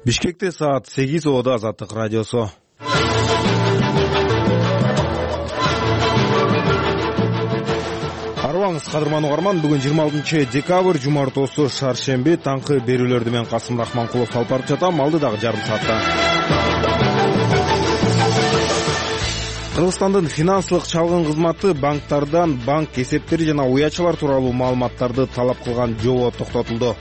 Бишкекте саат 8 Ода Азаттык радиосу. Арыбаңыз кадырман угарман, бүгүн 26 декабрь жумартоосу шаршемби, таңкы берүүлөрдү мен Касым Рахманкулов алып барып жатам. Алдыдагы жарым саатта Кыргызстандын финансылык чалгын кызматы банктардан банк эсептери жана уячалар тууралуу маалыматтарды талап кылган жобо токтотулду.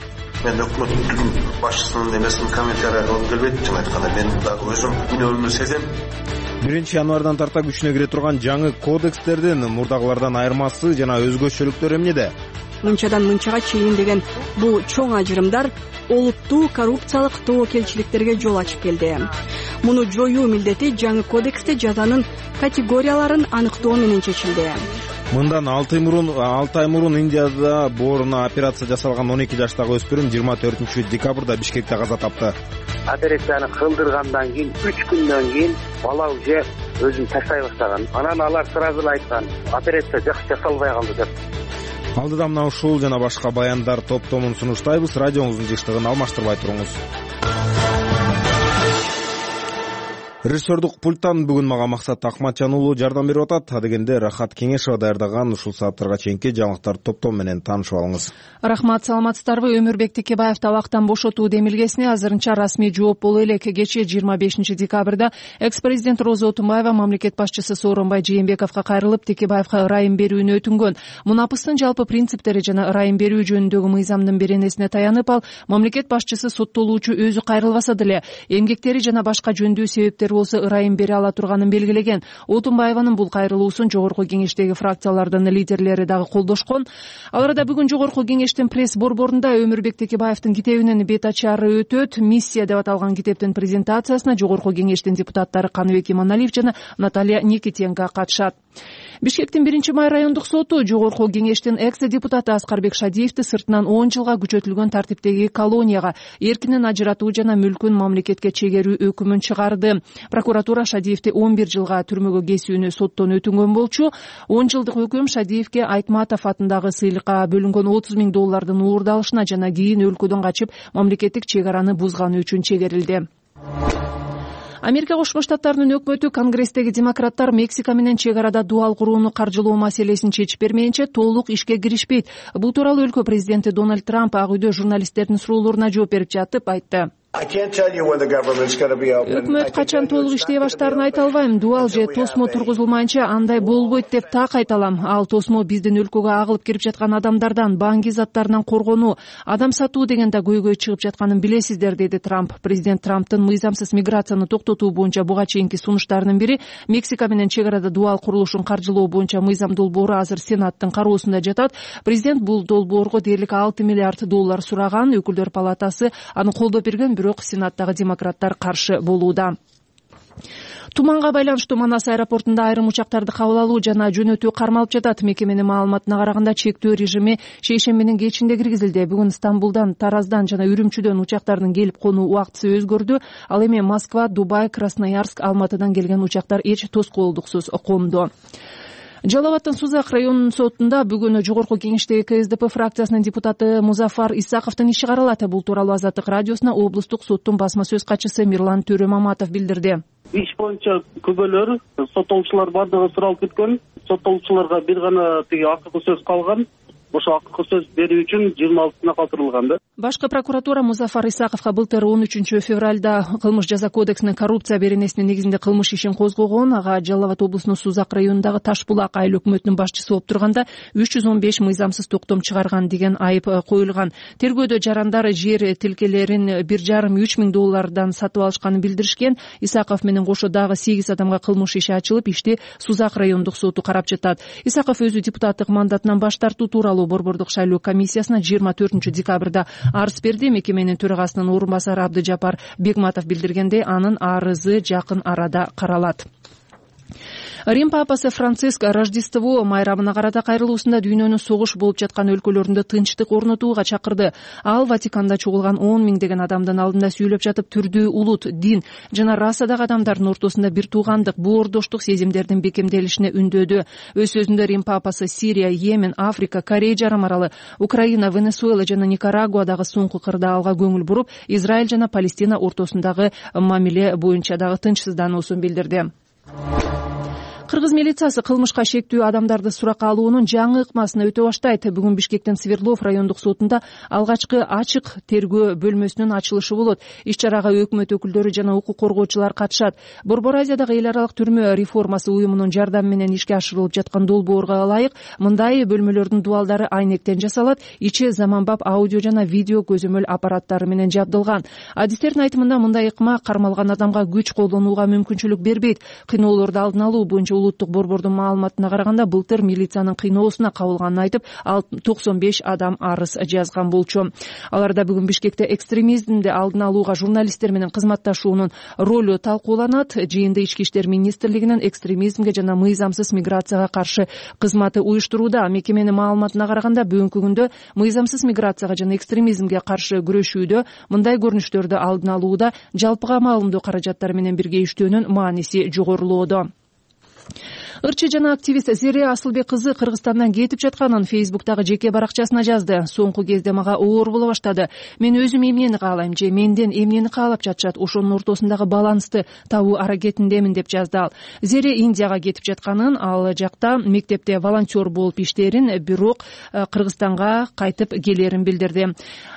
Мен өкмөттүн башчысынын эмесин комментарий алгым келбейт. Чын айтканда мен дагы өзүм күнөөлүүнү сезем. 1 январдан тарта күчүнө кире турган жаңы кодекстердин мурдагылардан айырмасы жана өзгөчөлүктөр эмнеде? Мынчадан мынчага чейин деген бул чоң ажырымдар олуттуу коррупциялык тобокелчиликтерге жол ачып келди. Муну жоюу милдети жаңы кодексте жазанын категорияларын аныктоо менен чечилди. Мындан 6 ай мурун Индияда бооруна операция жасалган 12 жаштагы өспүрүм 24 декабрда Бишкекте каза тапты. Операцияны кылдыргандан кийин 3 күндөн кийин бала уже өзүн таштай баштаган. Анан алар сразу эле айткан, операция жасалбай калды деп. Алдыда мына ушул жана башка баяндар топтомун сунуштайбыз. Радионуздун жыштыгын алмаштырбай туруңуз. Режиссердук пульттан бүгүн мага Максат Акматжан уулу жардам берип атат. Адегенде Рахат Кеңешова даярдаган ушул сааттарга чейинки жаңылыктар топтом менен таанышып алыңыз. Рахмат, саламатсыздарбы? Өмүрбек Текебаев табактан бошотуу демилгесине азырынча расмий жооп боло элек. Кечээ 25 декабрда экс-президент Роза Отунбаева мамлекет башчысы Сооронбай Жээнбековго кайрылып, Текебаевга ырайым берүүнү өтүнгөн. Мунапыстын жалпы принциптери жана ырайым берүү жөнүндөгү мыйзамдын беренесине таянып, ал мамлекет башчысы соттолуучу өзү кайрылбаса деле эмгектери жана башка жөндүү себептер болсо ырайым бере ала турганын белгилеген. Отунбаеванын бул кайрылуусун жогорку кеңештеги фракциялардын лидерлери дагы колдошкон. Ал арада бүгүн жогорку кеңештин пресс борборунда Өмүрбек Текебаевдин китебинин бет ачары өтөт. Миссия деп аталган китептин презентациясына жогорку кеңештин депутаттары Каныбек Иманалиев жана Наталья Никитенко катышат. Бишкектин 1-май райондук соту жогорку кеңештин экс-депутаты Аскарбек Шадиевди сыртынан 10 жылга күчөтүлгөн тартиптеги колонияга эркинен ажыратуу жана мүлкүн мамлекетке чегерүү өкүмүн чыгарды. Прокуратура Шадиевди 11 жылга түрмөгө кесүүнү соттон өтүнгөн болчу. 10 жылдык өкүм Шадиевге Айтматов атындагы сыйлыкка бөлүнгөн $30 000 уурдалышына жана кийин өлкөдөн качып мамлекеттик чек араны бузганы үчүн чегерилди. Америка Кошмо Штаттарынын өкмөтү Конгресстеги демократтар Мексика менен чек арада дуал курууну каржылоо маселесин чечип бермейинче толук ишке киришпейт. Бул тууралуу өлкө президенти Дональд Трамп Ак үйдө журналисттердин суроолоруна жооп берип жатып айтты. Өкмөт качан толук иштей баштаарын айта албайм. Дуал же тосмо тургузулмайынча андай болбойт деп так айта алам. Ал тосмо биздин өлкөгө агылып кирип жаткан адамдардан, баңги заттарынан коргонуу, адам сатуу деген да көйгөй чыгып жатканын билесиздер, деди Трамп. Президент Трамптын мыйзамсыз миграцияны токтотуу боюнча буга чейинки сунуштарынын бири Мексика менен чек арада дуал курулушун каржылоо боюнча мыйзам долбоору азыр Сенаттын кароосунда жатат. Президент бул долбоорго дээрлик $6 миллиард сураган. Өкүлдөр палатасы аны колдоп берген, бирок Сенаттагы демократтар каршы болууда. Туманга байланыштуу Манас аэропортунда айрым учактарды кабыл алуу жана жөнөтүү кармалып жатат. Мекеменин маалыматына караганда чектөө режими шейшембинин кечинде киргизилди. Бүгүн Стамбулдан, Тараздан жана Үрүмчүдөн учактардын келип конуу убактысы өзгөрдү. Ал эми Москва, Дубай, Красноярск, Алматыдан келген учактар эч тоскоолдуксуз конду. Жалал Абадтын Сузак районунун сотунда бүгүн жогорку кеңештеги КСДП фракциясынын депутаты Музафар Исаковдун иши каралат. Бул тууралуу Азаттык радиосуна облустук соттун басма сөз катчысы Мирлан Төрөмаматов билдирди. Иш боюнча күбөлөр соттолуучулар бардыгы суралып кеткен. Соттолуучуларга бир гана тиги акыркы сөз калган. Ошо акыркы сөз берүү үчүн 26-сына калтырылган да. Башкы прокуратура Музафар Исаковго былтыр 13 февралда кылмыш жаза кодексинин коррупция беренесинин негизинде кылмыш ишин козгогон. Ага Жалал Абад облусунун Сузак районундагы Ташбулак айыл өкмөтүнүн башчысы болуп турганда 315 мыйзамсыз токтом чыгарган деген айып коюлган. Тергөөдө жарандар жер тилкелерин $1,5–3 миң сатып алышканын билдиришкен. Исаков менен кошо дагы 8 адамга кылмыш иши ачылып, ишти Сузак райондук соту карап жатат. Исаков өзү депутаттык мандатынан баш тартуу тууралуу борбордук шайлоо комиссиясына 24 декабрда арыз берди. Мекеменин төрагасынын орун басары Абдыжапар Бегматов билдиргендей, анын арызы жакын арада каралат. Рим папасы Франциск Рождество майрамына карата кайрылуусунда дүйнөнүн согуш болуп жаткан өлкөлөрүндө тынчтык орнотууга чакырды. Ал Ватиканда чогулган 10 миңдеген адамдын алдында сүйлөп жатып, түрдүү улут, дин жана расадагы адамдардын ортосунда бир туугандык, боордоштук сезимдердин бекемделишине үндөөдү. Өз сөзүндө Рим папасы Сирия, Йемен, Африка, Корей жарым аралы, Украина, Венесуэла жана Никарагуадагы соңку кырдаалга көңүл буруп, Израиль жана Палестина ортосундагы мамиле боюнча дагы тынчсыздануусун билдирди. Кыргыз милициясы кылмышка шектүү адамдарды суракка алуунун жаңы ыкмасын өтө баштайт. Бүгүн Бишкектин Свердлов райондук сотунда алгачкы ачык тергөө бөлмөсүнүн ачылышы болот. Иш-чарага өкмөт өкүлдөрү жана укук коргоочулар катышат. Борбор Азиядагы эл аралык түрмө реформасы уюмунун жардамы менен ишке ашырылып жаткан долбоорго ылайык мындай бөлмөлөрдүн дубалдары айнектен жасалат, ичи заманбап аудио жана видео көзөмөл аппараттары менен жабдылган. Адистердин айтымында мындай ыкма кармалган адамга күч колдонууга мүмкүнчүлүк бербейт. Кыйноолорду алдын алуу боюнча улуттук борбордун маалыматына караганда былтыр милициянын кыйноосуна кабылганын айтып, ал 95 адам арыз жазган болчу. Аларда бүгүн Бишкекте экстремизмди алдын алууга журналисттер менен кызматташуунун ролу талкууланат. Жыйынды Ички иштер министрлигинин экстремизмге жана мыйзамсыз миграцияга каршы кызматы уюштурууда. Мекеменин маалыматына караганда бүгүнкү күндө мыйзамсыз миграцияга жана экстремизмге каршы күрөшүүдө, мындай көрүнүштөрдү алдын алууда жалпыга маалымдоо каражаттары менен бирге иштөөнүн мааниси жогорулоодо. Ырчы жана активист Зере Асылбек кызы Кыргызстандан кетип жатканын Фейсбуктагы жеке баракчасына жазды. Соңку кезде мага оор боло баштады. Мен өзүм эмнени каалайм же менден эмнени каалап жатышат, ошонун ортосундагы балансты табуу аракетиндемин деп жазды ал. Зере Индияга кетип жатканын, ал жакта мектепте волонтер болуп иштээрин, бирок Кыргызстанга кайтып келерин билдирди.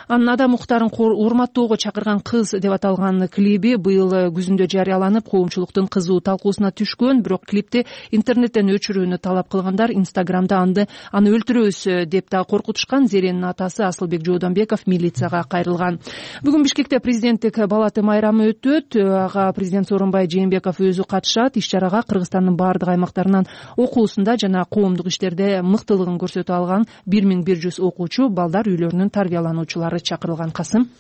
Анын адам укуктарын урматтоого чакырган кыз деп аталган клиби быйыл күзүндө жарыяланып, коомчулуктун кызуу талкуусуна түшкөн, бирок клипти интернеттен өчүрүүнү талап кылгандар Инстаграмда аны өлтүрөбүз деп да коркутушкан. Зеренин атасы Асылбек Жоодонбеков милицияга кайрылган. Бүгүн Бишкекте президенттик балаты майрамы өтөт. Ага президент Сооронбай Жээнбеков өзү катышат. Иш-чарага Кыргызстандын баардык аймактарынан окуусунда жана коомдук иштерде мыктылыгын көрсөтө алган 1100 окуучу, балдар үйлөрүнүн тарбиялануучулары чакырылган. Касым.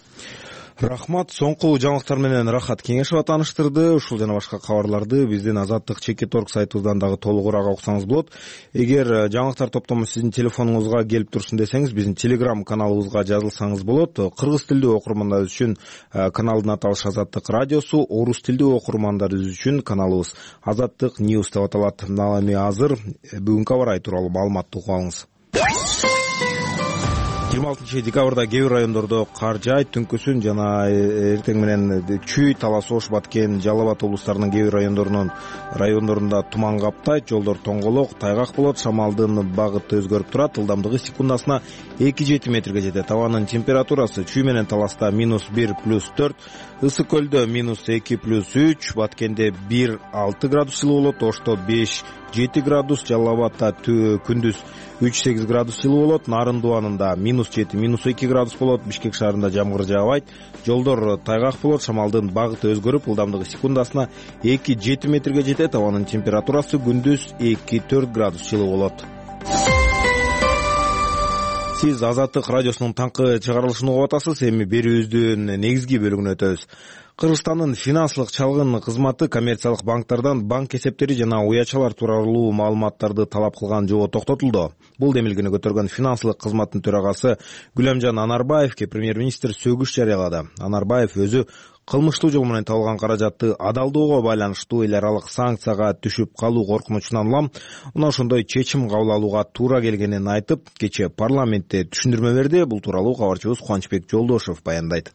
Рахмат. Соңку жаңылыктар менен Рахат Кеңешова тааныштырды. Ушул жана башка кабарларды биздин Азаттык /Чекит.org сайтыбыздан дагы толугураак окусаңыз болот. Эгер жаңылыктар топтому сиздин телефонуңузга келип турсун десеңиз, биздин Telegram каналыбызга жазылсаңыз болот. Кыргыз тилдүү окурмандар үчүн каналдын аталышы Азаттык радиосу, орус тилдүү окурмандар үчүн каналыбыз Азаттык News деп аталат. Ал эми азыр бүгүнкү аба ырайы тууралуу маалыматты угуп алыңыз. 26 декабрда кээ бир райондордо кар жаайт, түнкүсүн жана эртең менен Чүй, Талас Ош, Баткен, Жалал Абад облустарынын кээ бир райондорунда туман каптайт, жолдор тоңголок, тайгак болот, шамалдын багыты өзгөрүп турат, ылдамдыгы секундасына 2-7 метрге жетет. Абанын температурасы Чүй менен Таласта -1 + 4, Ысык көлдө -2 + 3, Баткенде 1-6 градус жылуу болот, Ошто 5-7 градус, Жалал Абадта күндүз 3-8 градус жылуу болот, Нарын Дубанында -7 - 2 градус болот, Бишкек шаарында жамгыр жаабайт, жолдор тайгак болот, шамалдын багыты өзгөрүп, ылдамдыгы секундасына 2-7 метрге жетет. Абанын температурасы күндүз 2-4 градус жылуу болот. Сиз Азаттык радиосунун таңкы чыгарылышын угуп атасыз. Эми берүүбүздүн негизги бөлүгүнө өтөбүз. Кыргызстандын финансылык чалгын кызматы коммерциялык банктардан банк эсептери жана уячалар тууралуу маалыматтарды талап кылган жобо токтотулду. Бул демилгени көтөргөн финансылык кызматтын төрагасы Гүлөмжан Анарбаевке премьер-министр сөгүш жарыялады. Анарбаев өзү кылмыштуу жол менен табылган каражатты адалдоого байланыштуу эл аралык санкцияга түшүп калуу коркунучунан улам мына ошондой чечим кабыл алууга туура келгенин айтып, кечээ парламентте түшүндүрмө берди. Бул тууралуу кабарчыбыз Кубанычбек Жолдошев баяндайт.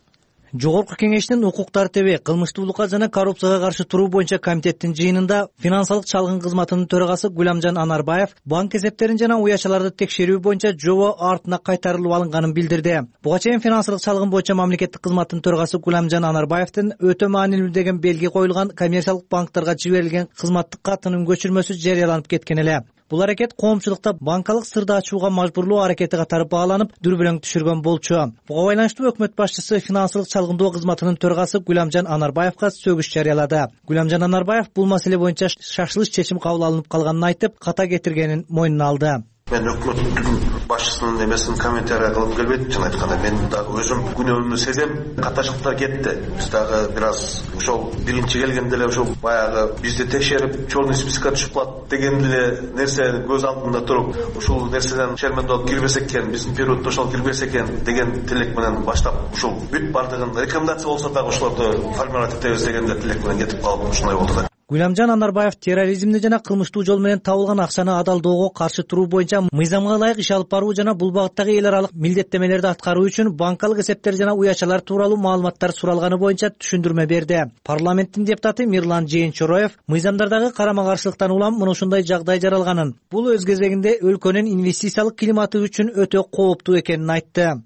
Жогорку кеңештин укук тартиби, кылмыштуулукка жана коррупцияга каршы туруу боюнча комитеттин жыйынында финансылык чалгын кызматынын төрагасы Гүлөмжан Анарбаев банк эсептерин жана уячаларды текшерүү боюнча жобо артына кайтарылып алынганын билдирди. Буга чейин финансылык чалгын боюнча мамлекеттик кызматтын төрагасы Гүлөмжан Анарбаевдин өтө маанилүү деген белги коюлган коммерциялык банктарга жиберилген кызматтык катынын көчүрмөсү жарыяланып кеткен эле. Бул аракет коомчулукта банкалык сырды ачууга мажбурлоо аракети катары бааланып, дүрбөлөң түшүргөн болчу. Буга байланыштуу өкмөт башчысы финансылык чалгындоо кызматынын төрагасы Гүлөмжан Анарбаевга сөгүш жарыялады. Гүлөмжан Анарбаев бул маселе боюнча шашылыш чечим кабыл алынып калганын айтып, ката кетиргенин мойнуна алды. Мен өкмөттүн башчысынын эмесин комментарий кылып келбейт. Чын айтканда мен дагы өзүм күнөөмдү сезем. Каташтыктар кетти. Биз дагы бир аз ошол биринчи келгенде эле ошол баягы бизди текшерип черный спискке түшүп калат деген эле нерсе көз алдында туруп, ушул нерседен шермендеп кирбесек экен, биздин периоддо ошол кирбесек экен деген тилек менен баштап ушул бүт бардыгын рекомендация болсо дагы ошолорду формировать этебиз деген тилек менен кетип калып ушундай болду да. Гүламжан Анарбаев терроризмди жана кылмыштуу жол менен табылган акчаны адалдоого каршы туруу боюнча мыйзамга ылайык иш алып баруу жана бул багыттагы эл аралык милдеттемелерди аткаруу үчүн банкалык эсептер жана уячалар тууралуу маалыматтар суралганы боюнча түшүндүрмө берди. Парламенттин депутаты Мирлан Жээнчороев мыйзамдардагы карама каршылыктан улам мына ушундай жагдай жаралганын, бул өз кезегинде өлкөнүн инвестициялык климаты үчүн өтө кооптуу экенин айтты.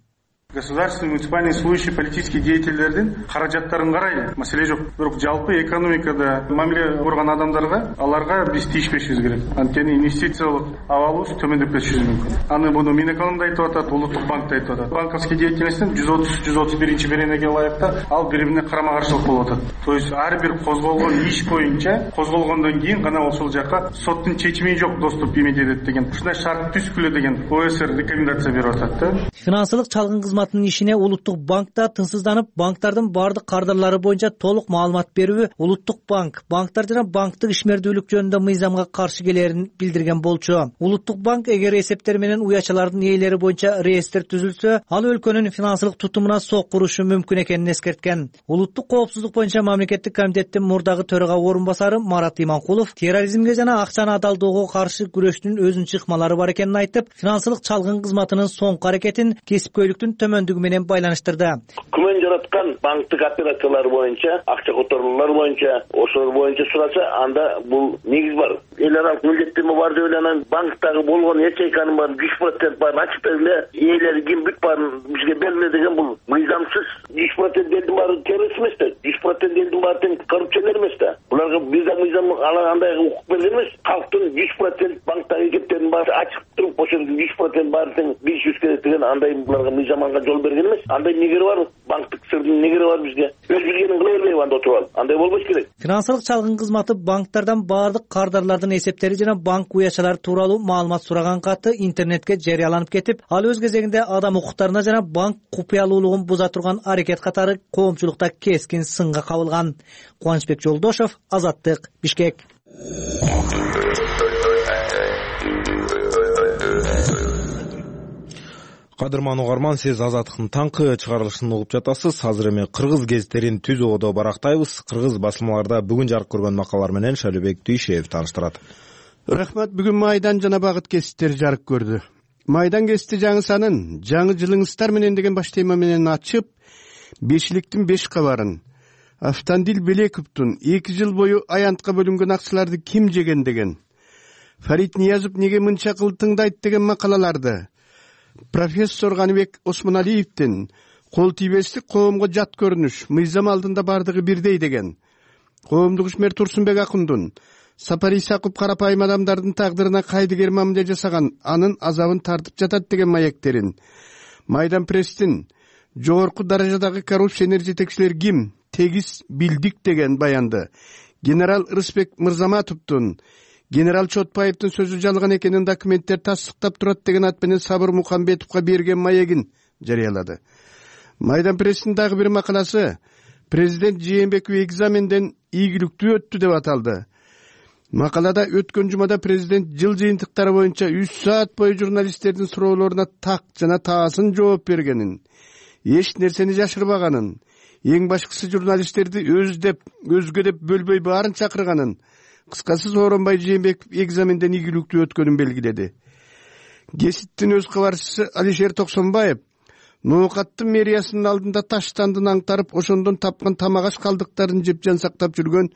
Государственный муниципальный служащий политических деятельдердин каражаттарын карайлы, маселе жок. Бирок жалпы экономикада мамиле курган адамдарга аларга биз тийишпешибиз керек. Анткени инвестициялык абалыбыз төмөндөп кетиши мүмкүн. Аны буну Минэконом да айтып атат, Улуттук банк да айтып атат. Банковский деятельностьтин 130-131 беренеге ылайыкта ал бири-бирине карама каршылык болуп атат. То есть ар бир козголгон иш боюнча козголгондон кийин гана ошол жака соттун чечими жок доступ эметет этет деген. Ушундай шарт түзгүлө деген ОСР рекомендация берип атат да. Финансылык чалгын кызматынын ишине Улуттук банк да тынчсызданып, банктардын бардык кардарлары боюнча толук маалымат берүүбү Улуттук банктар жана банктык ишмердүүлүк жөнүндө мыйзамга каршы келерин билдирген болчу. Улуттук банк эгер эсептер менен уячалардын ээлери боюнча реестр түзүлсө, ал өлкөнүн финансылык тутумуна сок курушу мүмкүн экенин эскерткен. Улуттук коопсуздук боюнча мамлекеттик комитеттин мурдагы төрага орун басары Марат Иманкулов терроризмге жана акчаны адалдоого каршы күрөштүн өзүнчө ыкмалары бар экенин айтып, финансылык чалгын кызматынын соңку аракетин кесипкөйлүктүн төмөндүгү менен байланыштырды. Күмөн жараткан банктык операциялар боюнча, акча которуулар боюнча, ошолор боюнча сураса, анда бул негиз бар. Эл аралык милдеттеме бар деп эле анан банктагы болгон ячейканын баарын 100% баарын ачып бергиле, ээлери ким бүт баарын бизге бергиле деген бул мыйзамсыз. 100% элдин баары террорист эмес да, 100% элдин баары тең коррупционер эмес да. Буларга бизде мыйзам андай укук берген эмес. Калктын 100% банктагы эсептерин баары ачып туруп, ошол 100% баары тең билишибиз керек деген андай буларга мыйзамга жол берген эмес. Андай негери бар, банктык сырдын негери бар бизге. Өз билгенин кыла бербейби анда отуруп алып. Андай болбош керек. Финансылык чалгын кызматы банктардан бардык кардарлардын эсептери жана банк уячалары тууралуу маалымат сураган каты интернетке жарыяланып кетип, ал өз кезегинде адам укуктарына жана банк купуялуулугун буза турган аракет катары коомчулукта кескин сынга кабылган. Кубанычбек Жолдошов, Азаттык, Бишкек. Кадырман угарман, сиз Азаттыктын таңкы чыгарылышын угуп жатасыз. Азыр эми кыргыз гезиттерин түз оодо барактайбыз. Кыргыз басмаларда бүгүн жарык көргөн макалалар менен Шалыбек Дүйшеев тааныштырат. Рахмат. Бүгүн Майдан жана Багыт гезиттери жарык көрдү. Майдан гезити жаңы санын жаңы жылыңыздар менен деген баш тема менен ачып, бешиликтин 5 кабарын, Автандил Белековдун 2 жыл бою аянтка бөлүнгөн акчаларды ким жеген деген, Фарид Ниязов неге мынча кылып тыңдайт деген макалаларды, профессор Ганыбек Осмоналиевдин кол тийбестик коомго жат көрүнүш, мыйзам алдында бардыгы бирдей деген, коомдук ишмер Турсунбек Акундун Сапар Исаков карапайым адамдардын тагдырына кайдыгер мамиле жасаган, анын азабын тартып жатат деген маектерин, Майдан пресстин жогорку даражадагы коррупционер жетекчилер ким, тегиз билдик деген баянды, генерал Рысбек Мырзаматовдун генерал Чотпаевдин сөзү жалган экенин документтер тасдыктап турат деген ат менен Сабыр Мухамбетовго берген маегин жарыялады. Майдан пресстин дагы бир макаласы президент Жээнбеков экзаменден ийгиликтүү өттү деп аталды. Макалада өткөн жумада президент жыл жыйынтыктары боюнча 3 саат бою журналисттердин суроолоруна так жана таасын жооп бергенин, эч нерсени жашырбаганын, эң башкысы журналисттерди өзгө деп бөлбөй баарын чакырганын, кыскасы Сооронбай Жээнбеков экзаменден ийгиликтүү өткөнүн белгиледи. Гезиттин өз кабарчысы Алишер Токсонбаев Ноокаттын мэриясынын алдында таштандын аңтарып, ошондон тапкан тамак аш калдыктарын жеп жан сактап жүргөн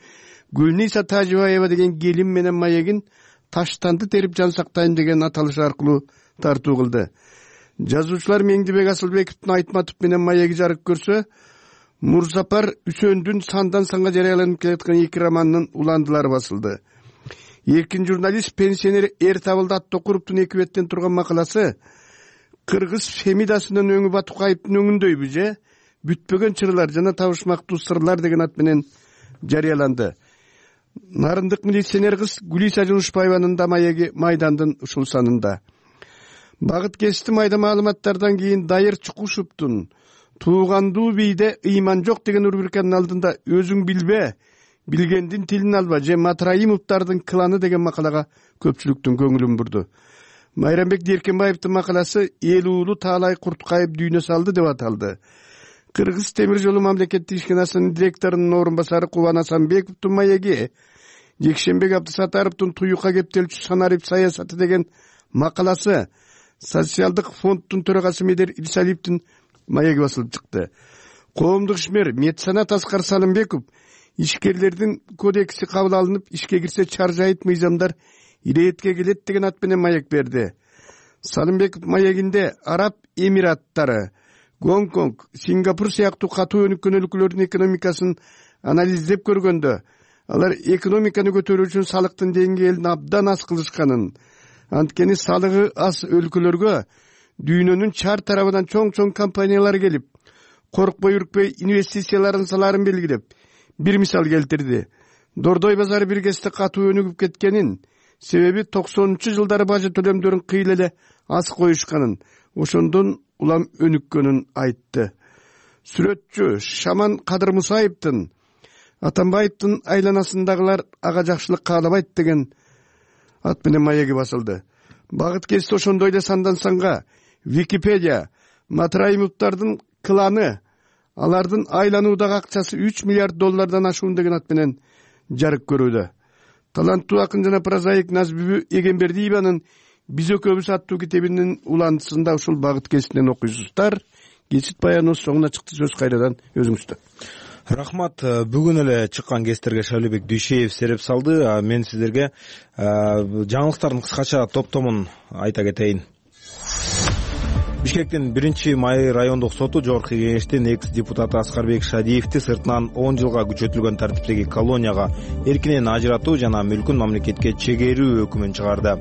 Гүлниса Тажибаева деген келин менен маегин таштанды терип жан сактайм деген аталыш аркылуу тартуу кылды. Жазуучулар Меңдибек Асылбековдун Айтматов менен маеги жарык көрсө, Мурзапар Үсөндүн сандан санга жарыяланып келаткан 2 романынын уландылары басылды. Эркин журналист пенсионер Эртабылды Аттокуровдун 2 беттен турган макаласы Кыргыз Фемидасынын өңү Батукаевдин өңүндөйбү же бүтпөгөн чырлар жана табышмактуу сырлар деген ат менен жарыяланды. Нарындык милиционер кыз Гүлиса Жунушбаеванын да маеги Майдандын ушул санында. Багыт кести майда маалыматтардан кийин Дайыр Чукушевдун туугандуу бийде ыйман жок деген рубриканын алдында өзүң билбе, билгендин тилин алба же Матраимовдардын кланы деген макалага көпчүлүктүн көңүлүн бурду. Майрамбек Деркенбаевдин макаласы эл уулу Таалай Курткаев дүйнө салды деп аталды. Кыргыз темир жолу мамлекеттик ишканасынын директорунун орун басары Кубан Асанбековдун маеги, Жекшенбек Абдысатаровдун туюкка кептелчү санарип саясаты деген макаласы, социалдык фонддун төрагасы Медер Ирсалиевдин маеги басылып чыкты. Коомдук ишмер Меценат Аскар Салымбеков ишкерлердин кодекси кабыл алынып, ишке кирсе чаржайыт мыйзамдар иретке келет деген ат менен маек берди. Салымбеков маегинде Араб Эмираттары, Гонконг, Сингапур сыяктуу катуу өнүккөн өлкөлөрдүн экономикасын анализдеп көргөндө, алар экономиканы көтөрүү үчүн салыктын деңгээлин абдан аз кылышканын, анткени салыгы аз өлкөлөргө дүйнөнүн чар тарабынан чоң компаниялар келип, коркпой үркпөй инвестицияларын саларын белгилеп, бир мисал келтирди. Дордой базары бир кезде катуу өнүгүп кеткенин, себеби 90-жылдары бажы төлөмдөрүн кыйла эле аз коюшканын, ошондон улам өнүккөнүн айтты. Сүрөтчү Шаман Кадыр Мусаевдин Атамбаевдин айланасындагылар ага жакшылык каалабайт деген ат менен маеги басылды. Багыт кести ошондой эле сандан санга Википедия Матраимовдардын кланы, алардын айлануудагы акчасы $3 миллиард ашуун деген ат менен жарык көрүүдө. Таланттуу акын жана прозаик Назбүбү Эгембердиеванын «Биз экөөбүз» аттуу китебинин уландысында ушул багыт кестинен окуйсуздар. Кечит баяныбыз соңуна чыкты, сөз кайрадан өзүңүздө. Рахмат. Бүгүн эле чыккан кестерге Шайлебек Дүйшеев сереп салды. Мен сиздерге жаңылыктардын кыскача топтомун айта кетейин. Бишкектин 1-Май райондук соту жогорку кеңештин экс-депутаты Аскарбек Шадиевди сыртынан 10 жылга күчөтүлгөн тартиптеги колонияга эркинен ажыратуу жана мүлкүн мамлекетке чегерүү өкүмүн чыгарды.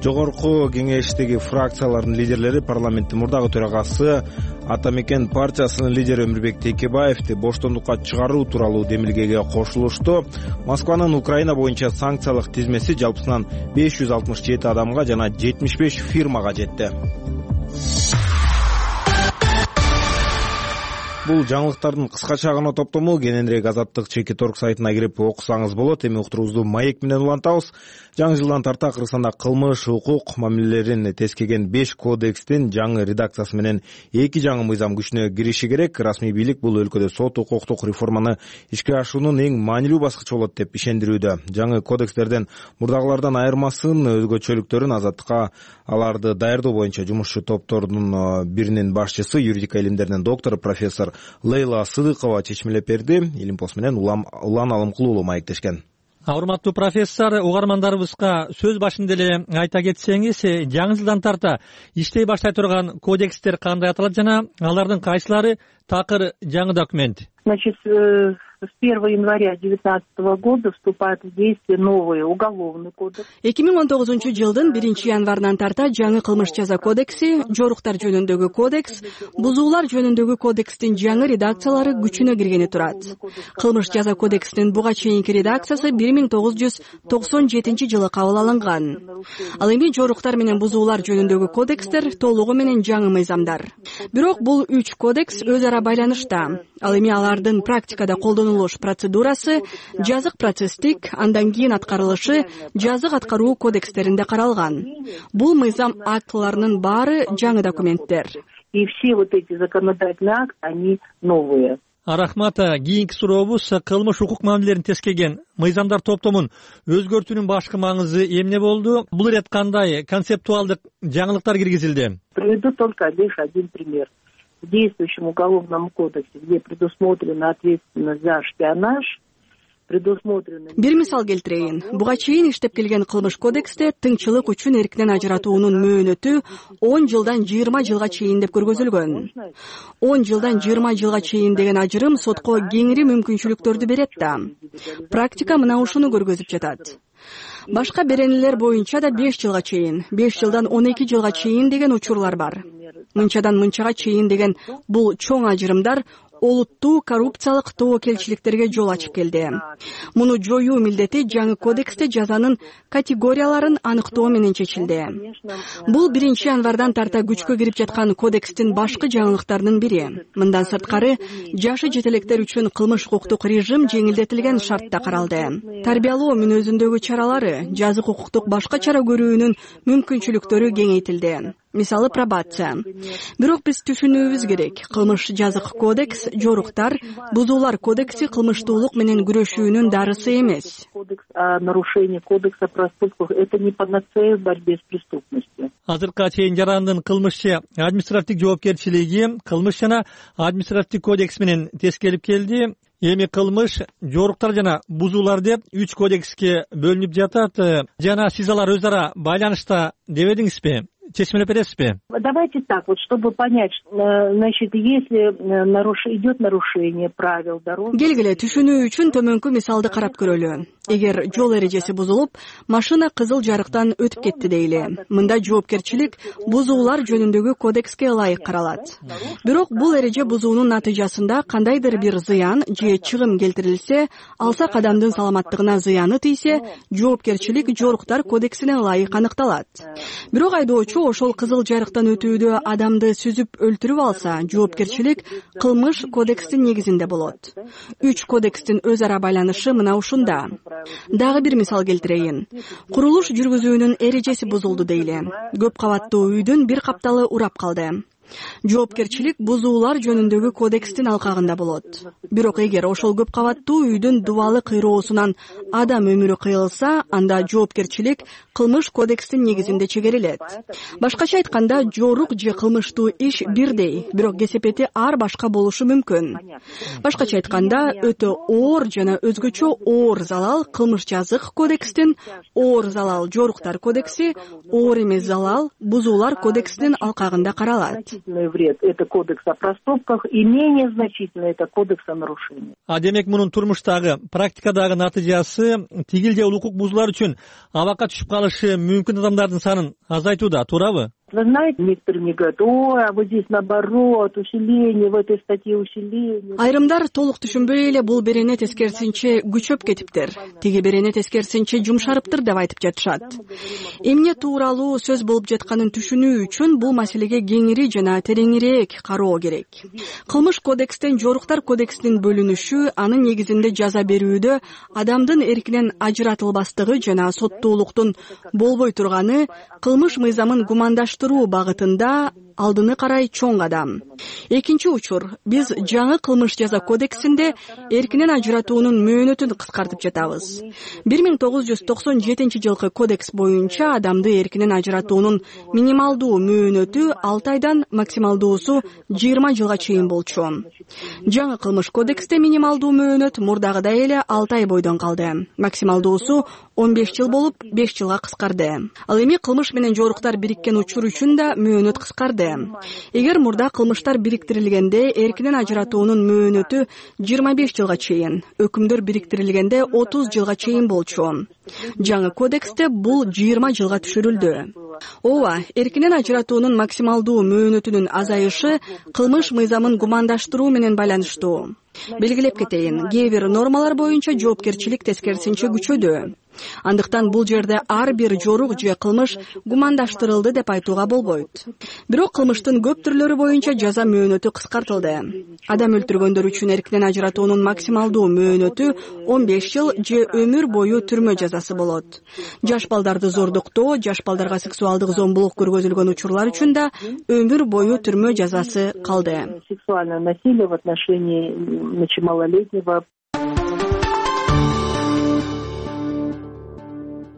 Жогорку кеңештеги фракциялардын лидерлери парламенттин мурдагы төрагасы Ата Мекен партиясынын лидери Өмүрбек Текебаевди боштондукка чыгаруу тууралуу демилгеге кошулушту. Москванын Украина боюнча санкциялык тизмеси жалпысынан 567 адамга жана 75 фирмага жетти. Бул жаңылыктардын кыскача гана топтому. Кененирээк Азаттык Чекиторг сайтына кирип окусаңыз болот. Эми уктуруубузду маек менен улантабыз. Жаңы жылдан тарта Кыргызстанда кылмыш, укук мамилелерин тескеген 5 кодекстин жаңы редакциясы менен 2 жаңы мыйзам күчүнө кириши керек. Расмий бийлик бул өлкөдө сот укуктук реформаны ишке ашуунун эң маанилүү баскычы болот деп ишендирүүдө. Жаңы кодекстерден мурдагылардан айырмасын, өзгөчөлүктөрүн Азаттыкка аларды даярдоо боюнча жумушчу топтордун биринин башчысы, юридика илимдеринин доктору профессор Лейла Сыдыкова чечмелеп берди. Илимпос менен Улан Алымкул уулу маектешкен. Урматтуу профессор, угармандарыбызга сөз башында эле айта кетсеңиз, жаңы жылдан тарта иштей баштай турган кодекстер кандай аталат жана алардын кайсылары такыр жаңы документ? Значит, с 1 января 2019 года вступает в действие новый уголовный кодекс. 2019 жылдын 1 январынан тарта жаңы кылмыш жаза кодекси, жоруктар жөнүндөгү кодекс, бузуулар жөнүндөгү кодекстин жаңы редакциялары күчүнө киргени турат. Кылмыш жаза кодексинин буга чейинки редакциясы 1997 жылы кабыл алынган. Ал эми жоруктар менен бузуулар жөнүндөгү кодекстер толугу менен жаңы мыйзамдар. Бирок бул 3 кодекс өз ара байланышта. Ал эми алардын практикада колдонулуш процедурасы жазык процесстик, андан кийин аткарылышы жазык аткаруу кодекстеринде каралган. Бул мыйзам актыларынын баары жаңы документтер. И все вот эти законодательные акты, они новые. Рахмат. Кийинки сурообуз кылмыш укук мамилелерин тескеген мыйзамдар топтомун өзгөртүүнүн башкы маңызы эмне болду? Бул ирет кандай концептуалдык жаңылыктар киргизилди? Приведу только лишь один пример. В действующем уголовном кодексе, где предусмотрена ответственность за шпионаж, бир мисал келтирейин. Буга чейин иштеп келген кылмыш кодексте тыңчылык үчүн эркинен ажыратуунун мөөнөтү 10 жылдан 20 жылга чейин деп көргөзүлгөн. 10 жылдан 20 жылга чейин деген ажырым сотко кеңири мүмкүнчүлүктөрдү берет да. Практика мына ушуну көргөзүп жатат. Башка беренелер боюнча да 5 жылга чейин, 5 жылдан 12 жылга чейин деген учурлар бар. Мынчадан мынчага чейин деген бул чоң ажырымдар олуттуу коррупциялык тобокелчиликтерге жол ачып келди. Муну жоюу милдети жаңы кодексте жазанын категорияларын аныктоо менен чечилди. Бул 1-январдан тарта күчкө кирип жаткан кодекстин башкы жаңылыктарынын бири. Мындан сырткары, жашы жетелектер үчүн кылмыш укуктук режим жеңилдетилген шартта каралды. Тарбиялоо мүнөзүндөгү чаралары, жазык укуктук башка чара көрүүнүн мүмкүнчүлүктөрү кеңейтилди. Мисалы пробация. Бирок биз түшүнүүбүз керек, кылмыш жазык кодекс, жоруктар, бузуулар кодекси кылмыштуулук менен күрөшүүнүн дарысы эмес. Нарушение кодекса проступков — это не панацея в борьбе с преступностью. Азыркыга чейин жарандын кылмышчы административдик жоопкерчилиги кылмыш жана административдик кодекс менен тескелип келди. Эми кылмыш, жоруктар жана бузуулар деп 3 кодекске бөлүнүп жатат. Жана сиз алар өз ара байланышта дебедиңизби? Чечмелеп бересизби? Давайте так, вот чтобы понять, значит, если идет нарушение правил дороги. Келгиле түшүнүү үчүн төмөнкү мисалды карап көрөлү. Эгер жол эрежеси бузулуп, машина кызыл жарыктан өтүп кетти дейли. Мында жоопкерчилик бузуулар жөнүндөгү кодекске ылайык каралат. Бирок бул эреже бузуунун натыйжасында кандайдыр бир зыян же чыгым келтирилсе, алсак адамдын саламаттыгына зыяны тийсе, жоопкерчилик жоруктар кодексине ылайык аныкталат. Бирок айдоочу ошол кызыл жарыктан өтүүдө адамды сүзүп өлтүрүп алса, жоопкерчилик кылмыш кодекстин негизинде болот. 3 кодекстин өз ара байланышы мына ушунда. Дагы бир мисал келтирейин. Курулуш жүргүзүүнүн эрежеси бузулду дейли. Көп кабаттуу үйдүн бир капталы урап калды. Жоопкерчилик бузуулар жөнүндөгү кодекстин алкагында болот. Бирок эгер ошол көп кабаттуу үйдүн дубалы кыйроосунан адам өмүрү кыйылса, анда жоопкерчилик кылмыш кодекстин негизинде чегерилет. Башкача айтканда, жорук же кылмыштуу иш бирдей, бирок кесепети ар башка болушу мүмкүн. Башкача айтканда, өтө оор жана өзгөчө оор залал кылмыш жазык кодекстин, оор залал жоруктар кодекси, оор эмес залал бузуулар кодексинин алкагында каралат. Вред — это кодекс о проступках, и менее значительный — это кодекс о нарушениях. Демек мунун турмуштагы, практикадагы натыйжасы тигил же укук бузуулар үчүн абакка түшүп калышы мүмкүн адамдардын санын азайтууда, туурабы? Вы знаете, некоторые мне говорят: ой, а вот здесь наоборот, усиление, в этой статье усиление. Айрымдар толук түшүнбөй эле бул берене тескерисинче күчөп кетиптир, тиги берене тескерисинче жумшарыптыр деп айтып жатышат. Эмне тууралуу сөз болуп жатканын түшүнүү үчүн бул маселеге кеңири жана тереңирээк кароо керек. Кылмыш кодекстен жоруктар кодексинин бөлүнүшү анын негизинде жаза берүүдө адамдын эркинен ажыратылбастыгы жана соттуулуктун болбой турганы кылмыш мыйзамын гумандаштыруу багытында алдыны карай чоң кадам. Экинчи учур, биз жаңы кылмыш жаза кодексинде эркинен ажыратуунун мөөнөтүн кыскартып жатабыз. 1997 жылкы кодекс боюнча адамды эркинен ажыратуунун минималдуу мөөнөтү 6 айдан максималдуусу 20 жылга чейин болчу. Жаңы кылмыш кодексте минималдуу мөөнөт мурдагыдай эле 6 ай бойдон калды. Максималдуусу 15 жыл болуп 5 жылга кыскарды. Ал эми кылмыш менен жоруктар бириккен учур үчүн да мөөнөт кыскарды. Эгер мурда кылмыштар бириктирилгенде эркинен ажыратуунун мөөнөтү 25 жылга чейин, өкүмдөр бириктирилгенде 30 жылга чейин болчу. Жаңы кодексте бул 20 жылга түшүрүлдү. Ооба, эркинен ажыратуунун максималдуу мөөнөтүнүн азайышы кылмыш мыйзамын гумандаштыруу менен байланыштуу. Белгилеп кетейин, кээ бир нормалар боюнча жоопкерчилик тескерисинче күчөдү. Андыктан бул жерде ар бир жорук же кылмыш гумандаштырылды деп айтууга болбойт. Бирок кылмыштын көп түрлөрү боюнча жаза мөөнөтү кыскартылды. Адам өлтүргөндөр үчүн эркинен ажыратуунун максималдуу мөөнөтү 15 жыл же өмүр бою түрмө жазасы болот. Жаш балдарды зордуктоо, жаш балдарга сексуалдык зомбулук көргөзүлгөн учурлар үчүн да өмүр бою түрмө жазасы калды. Сексуальное насилие в отношении малолетнего.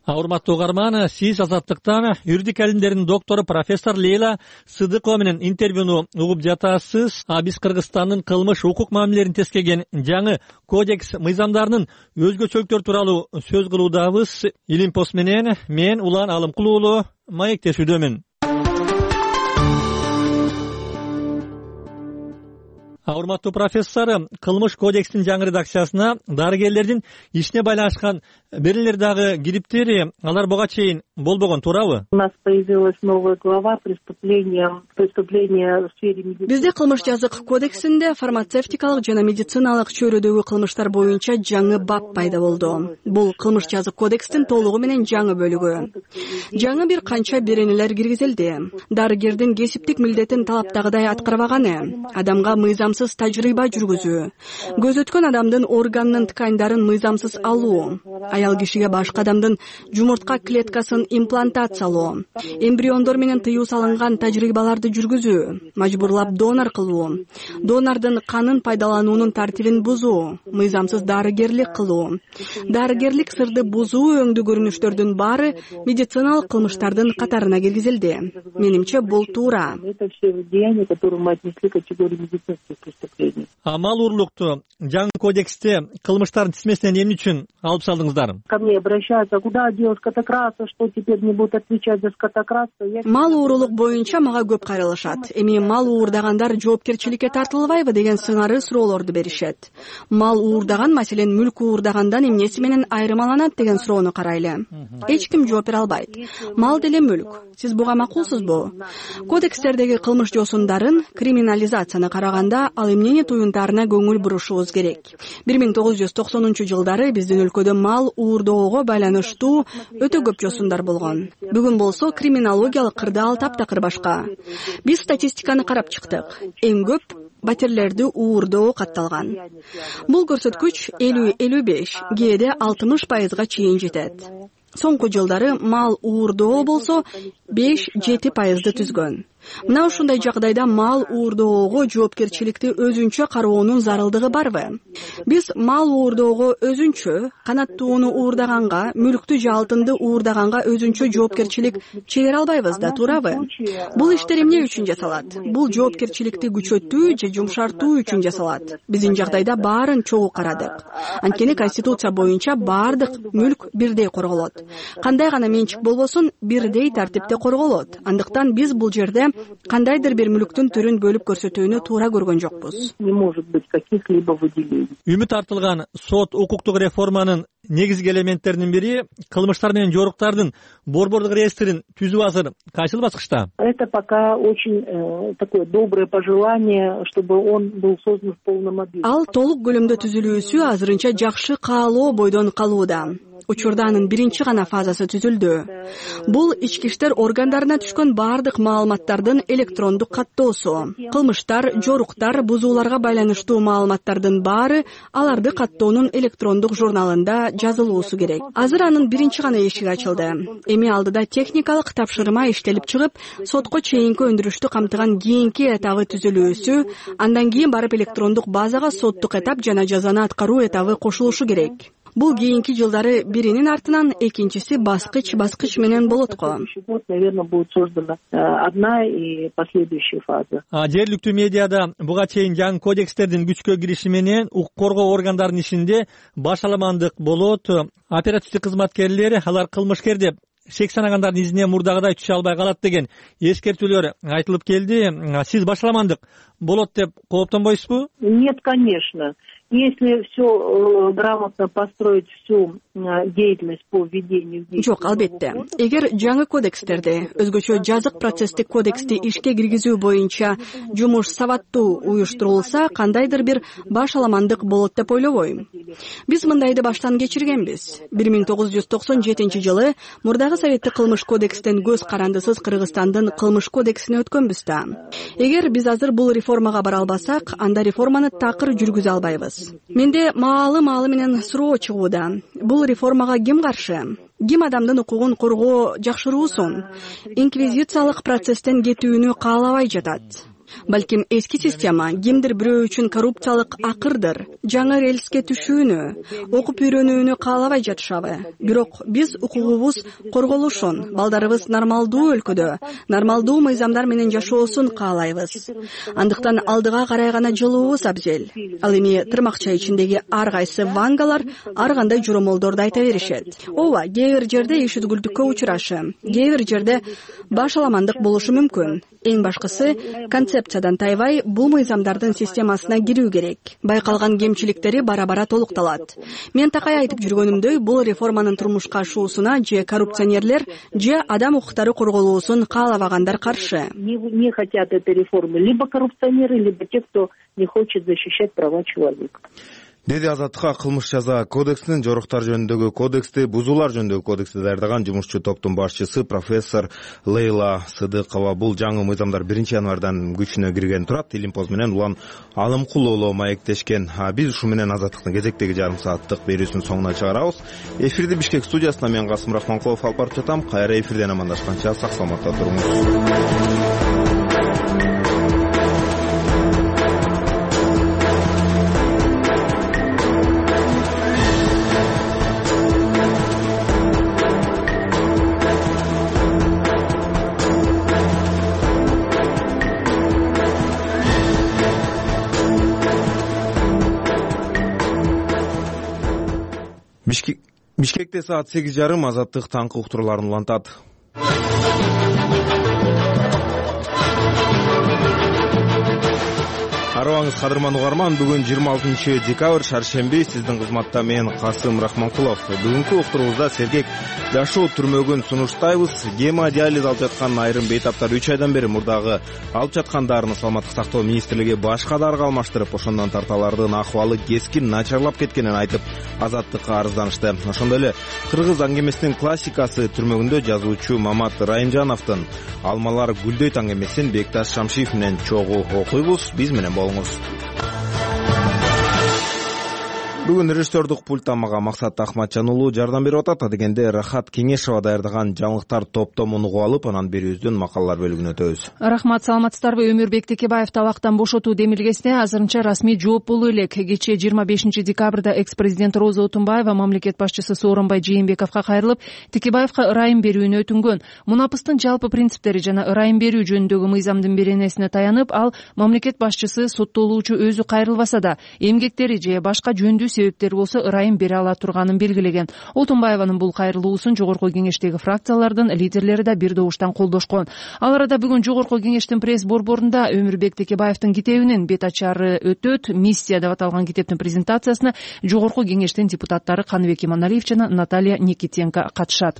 Урматтуу угарман, сиз Азаттыктан юридик илимдердин доктору профессор Лейла Сыдыкова менен интервьюну угуп жатасыз. Биз Кыргызстандын кылмыш укук мамилелерин тескеген жаңы кодекс мыйзамдарынын өзгөчөлүктөрү тууралуу сөз кылуудабыз. Илим пост менен мен Улан Алымкул уулу маектешүүдөмүн. Урматтуу профессор, кылмыш кодекстин жаңы редакциясына дарыгерлердин ишине байланышкан Бир эле дагы кириптери алар буга чейин болбогон, туурабы? У нас появилась новая глава преступления в сфере медицины. Бизде кылмыш жазык кодексинде фармацевтикалык жана медициналык чөйрөдөгү кылмыштар боюнча жаңы бап пайда болду. Бул кылмыш жазык кодекстин толугу менен жаңы бөлүгү. Жаңы бир канча беренелер киргизилди. Дарыгердин кесиптик милдетин талаптагыдай аткарбаганы, адамга мыйзамсыз тажрыйба жүргүзүү, көз өткөн адамдын органынын тканьдарын мыйзамсыз алуу, аял кишиге башка адамдын жумуртка клеткасын имплантациялоо, эмбриондор менен тыюу салынган тажрыйбаларды жүргүзүү, мажбурлап донор кылуу, донордун канын пайдалануунун тартибин бузуу, мыйзамсыз дарыгерлик кылуу, дарыгерлик сырды бузуу өңдүү көрүнүштөрдүн баары медициналык кылмыштардын катарына киргизилди. Менимче бул туура. Это все деяния, которые мы отнесли к категории медицинских преступлений. Мал уурлукту жаңы кодексте кылмыштардын тизмесинен эмне үчүн алып салдыңыздар? Ко мне обращаются, куда дел скотокраса, что теперь не будут отвечать за скотокраса. Мал уурулук боюнча мага көп кайрылышат. Эми мал уурдагандар жоопкерчиликке тартылбайбы деген сыңары суроолорду беришет. Мал уурдаган, маселен мүлк уурдагандан эмнеси менен айырмаланат деген суроону карайлы. Эч ким жооп бере албайт. Мал деле мүлк. Сиз буга макулсузбу? Кодекстердеги кылмыш жосундарын, криминализацияны караганда ал эмнени туюнтаарына көңүл бурушубуз керек. 1990-жылдары биздин өлкөдө мал уурдоого байланыштуу өтө көп жосундар болгон. Бүгүн болсо криминологиялык кырдаал таптакыр башка. Биз статистиканы карап чыктык. Эң көп батирлерди уурдоо катталган. Бул көрсөткүч 50-55, кээде 60% чейин жетет. Соңку жылдары мал уурдоо болсо 5-7% түзгөн. Мына ушундай жагдайда мал уурдоого жоопкерчиликти өзүнчө кароонун зарылдыгы барбы? Биз мал уурдоого өзүнчө, канаттууну уурдаганга, мүлктү же алтынды уурдаганга өзүнчө жоопкерчилик чегере албайбыз да, туурабы? Бул иштер эмне үчүн жасалат? Бул жоопкерчиликти күчөтүү же жумшартуу үчүн жасалат. Биздин жагдайда баарын чогуу карадык. Анткени Конституция боюнча баардык мүлк бирдей корголот. Кандай гана менчик болбосун, бирдей тартипте корголот. Андыктан биз бул жерде кандайдыр бир мүлктүн түрүн бөлүп көрсөтүүнү туура көргөн жокпуз. Не может быть каких-либо выделений. Үмүт артылган сот укуктук реформанын негизги элементтеринин бири кылмыштар менен жоруктардын борбордук реестрин түзүү азыр кайсыл баскычта? Это пока очень такое доброе пожелание, чтобы он был создан в полном объеме. Ал толук көлөмдө түзүлүүсү азырынча жакшы каалоо бойдон калууда. Учурда анын биринчи гана фазасы түзүлдү. Бул ички иштер органдарына түшкөн баардык маалыматтардын электрондук каттоосу. Кылмыштар, жоруктар, бузууларга байланыштуу маалыматтардын баары аларды каттоонун электрондук журналында жазылуусу керек. Азыр анын биринчи гана эшиги ачылды. Эми алдыда техникалык тапшырма иштелип чыгып, сотко чейинки өндүрүштү камтыган кийинки этабы түзүлүүсү, андан кийин барып электрондук базага соттук этап жана жазаны аткаруу этабы кошулушу керек. Бул кийинки жылдары биринин артынан экинчиси баскыч менен болот го. Наверное, будет создана одна и последующая фаза. Жергиликтүү медиада буга чейин жаңы кодекстердин күчкө кириши менен укук коргоо органдарынын ишинде башаламандык болот. Оперативдик кызматкерлери алар кылмышкер деп шек санагандардын изине мурдагыдай түшө албай калат деген эскертүүлөр айтылып келди. Сиз башаламандык болот деп кооптонбойсузбу? Нет, конечно. Если все грамотно построить всю деятельность по введению в действие. Жок, албетте. Эгер жаңы кодекстерди, өзгөчө жазык процесстик кодексти ишке киргизүү боюнча жумуш сабаттуу уюштурулса, кандайдыр бир башаламандык болот деп ойлобойм. Биз мындайды баштан кечиргенбиз. 1997-жылы мурдагы Советтик кылмыш кодекстен көз карандысыз Кыргызстандын кылмыш кодексине өткөнбүз да. Эгер биз азыр бул реформага бара албасак, анда реформаны такыр жүргүзө албайбыз. Менде маалы менен суроо чыгууда. Бул реформага ким каршы? Ким адамдын укугун коргоо жакшыруусун? Инквизициялык процесстен кетүүнү каалабай жатат. Балким эски система кимдир бирөө үчүн коррупциялык акырдыр, жаңы рельске түшүүнү, окуп үйрөнүүнү каалабай жатышабы. Бирок биз укугубуз корголушун, балдарыбыз нормалдуу өлкөдө, нормалдуу мыйзамдар менен жашоосун каалайбыз. Андыктан алдыга карай гана жылуубуз абзел. Ал эми тырмакча ичиндеги ар кайсы вангалар ар кандай жоромолдорду айта беришет. Ооба, кээ бир жерде иш үзгүлтүккө учурашы, кээ бир жерде башаламандык болушу мүмкүн. Эң башкысы концепциядан тайбай бул мыйзамдардын системасына кирүү керек. Байкалган кемчиликтери бара-бара толукталат. Мен такай айтып жүргөнүмдөй, бул реформанын турмушка ашуусуна же коррупционерлер, же адам укуктары корголуусун каалабагандар каршы. Не хотят этой реформы либо коррупционеры, либо те, кто не хочет защищать права человека. Деди Азаттыкка кылмыш жаза кодексинин жоруктар жөнүндөгү кодексти, бузуулар жөнүндөгү кодексти даярдаган жумушчу топтун башчысы профессор Лейла Сыдыкова. Бул жаңы мыйзамдар 1-январдан күчүнө кирген турат. Илимпоз менен Улан Алымкул уулу маектешкен. Биз ушу менен Азаттыктын кезектеги жарым сааттык берүүсүнүн соңуна чыгарабыз. Эфирди Бишкек студиясына мен Касым Рахманкулов алып барып жатам. Кайра эфирден амандашканча сак саламатта туруңуз. Бишкекте саат 8:30 Азаттык таңкы уктурууларын улантат. Арыбаңыз кадырман угарман, бүгүн 26 декабрь шаршемби, сиздин кызматта мен Касым Рахманкулов. Бүгүнкү уктуруубузда сергек жашоо түрмөгүн сунуштайбыз. Гемодиализ алып жаткан айрым бейтаптар 3 айдан бери мурдагы алып жаткан дарыны Саламаттык сактоо министрлиги башка дарыга алмаштырып, ошондон тарталардын акыбалы кескин начарлап кеткенин айтып, Азаттыкка арызданышты. Ошондой эле кыргыз аңгемесинин классикасы түрмөгүндө жазуучу Мамат Райымжановдун Алмалар гүлдөйт аңгемесин Бекташ Шамшиев менен чогуу окуйбуз. Биз менен болуңуз. Бүгүн режиссердук пульттан мага Максат Ахматжан уулу жардам берип атат. Адегенде Рахат Кеңешова даярдаган жаңылыктар топтомун угуп алып, анан берүүбүздүн макалалар бөлүгүнө өтөбүз. Рахмат, саламатсыздарбы? Өмүрбек Текебаев табактан бошотуу демилгесине азырынча расмий жооп болуу элек. Кечээ 25 декабрда экс-президент Роза Отунбаева мамлекет башчысы Сооронбай Жээнбековго кайрылып, Текебаевга ырайым берүүнү өтүнгөн. Мунапыстын жалпы принциптери жана ырайым берүү жөнүндөгү мыйзамдын беренесине таянып, ал мамлекет башчысы соттолуучу өзү кайрылбаса да, эмгектери же башка жөндүү себептери болсо ырайым бере ала турганын белгилеген. Отунбаеванын бул кайрылуусун жогорку кеңештеги фракциялардын лидерлери да бир добуштан колдошкон. Ал арада бүгүн жогорку кеңештин пресс борборунда Өмүрбек Текебаевдин китебинин бет ачары өтөт. Миссия деп аталган китептин презентациясына жогорку кеңештин депутаттары Каныбек Иманалиев жана Наталья Никитенко катышат.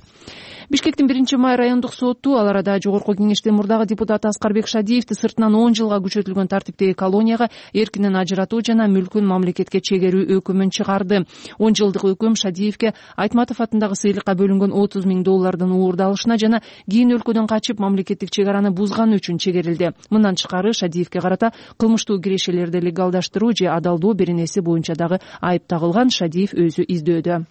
Бишкектин 1-май райондук соту ал арада жогорку кеңештин мурдагы депутаты Аскарбек Шадиевди сыртынан 10 жылга күчөтүлгөн тартиптеги колонияга эркинен ажыратуу жана мүлкүн мамлекетке чегерүү өкүмүн чыгарды. 10 жылдык өкүм Шадиевге Айтматов атындагы сыйлыкка бөлүнгөн $30,000 уурдалышына жана кийин өлкөдөн качып мамлекеттик чек араны бузганы үчүн чегерилди. Мындан тышкары Шадиевге карата кылмыштуу кирешелерди легалдаштыруу же адалдоо беренеси боюнча дагы айып тагылган. Шадиев өзү издөөдө.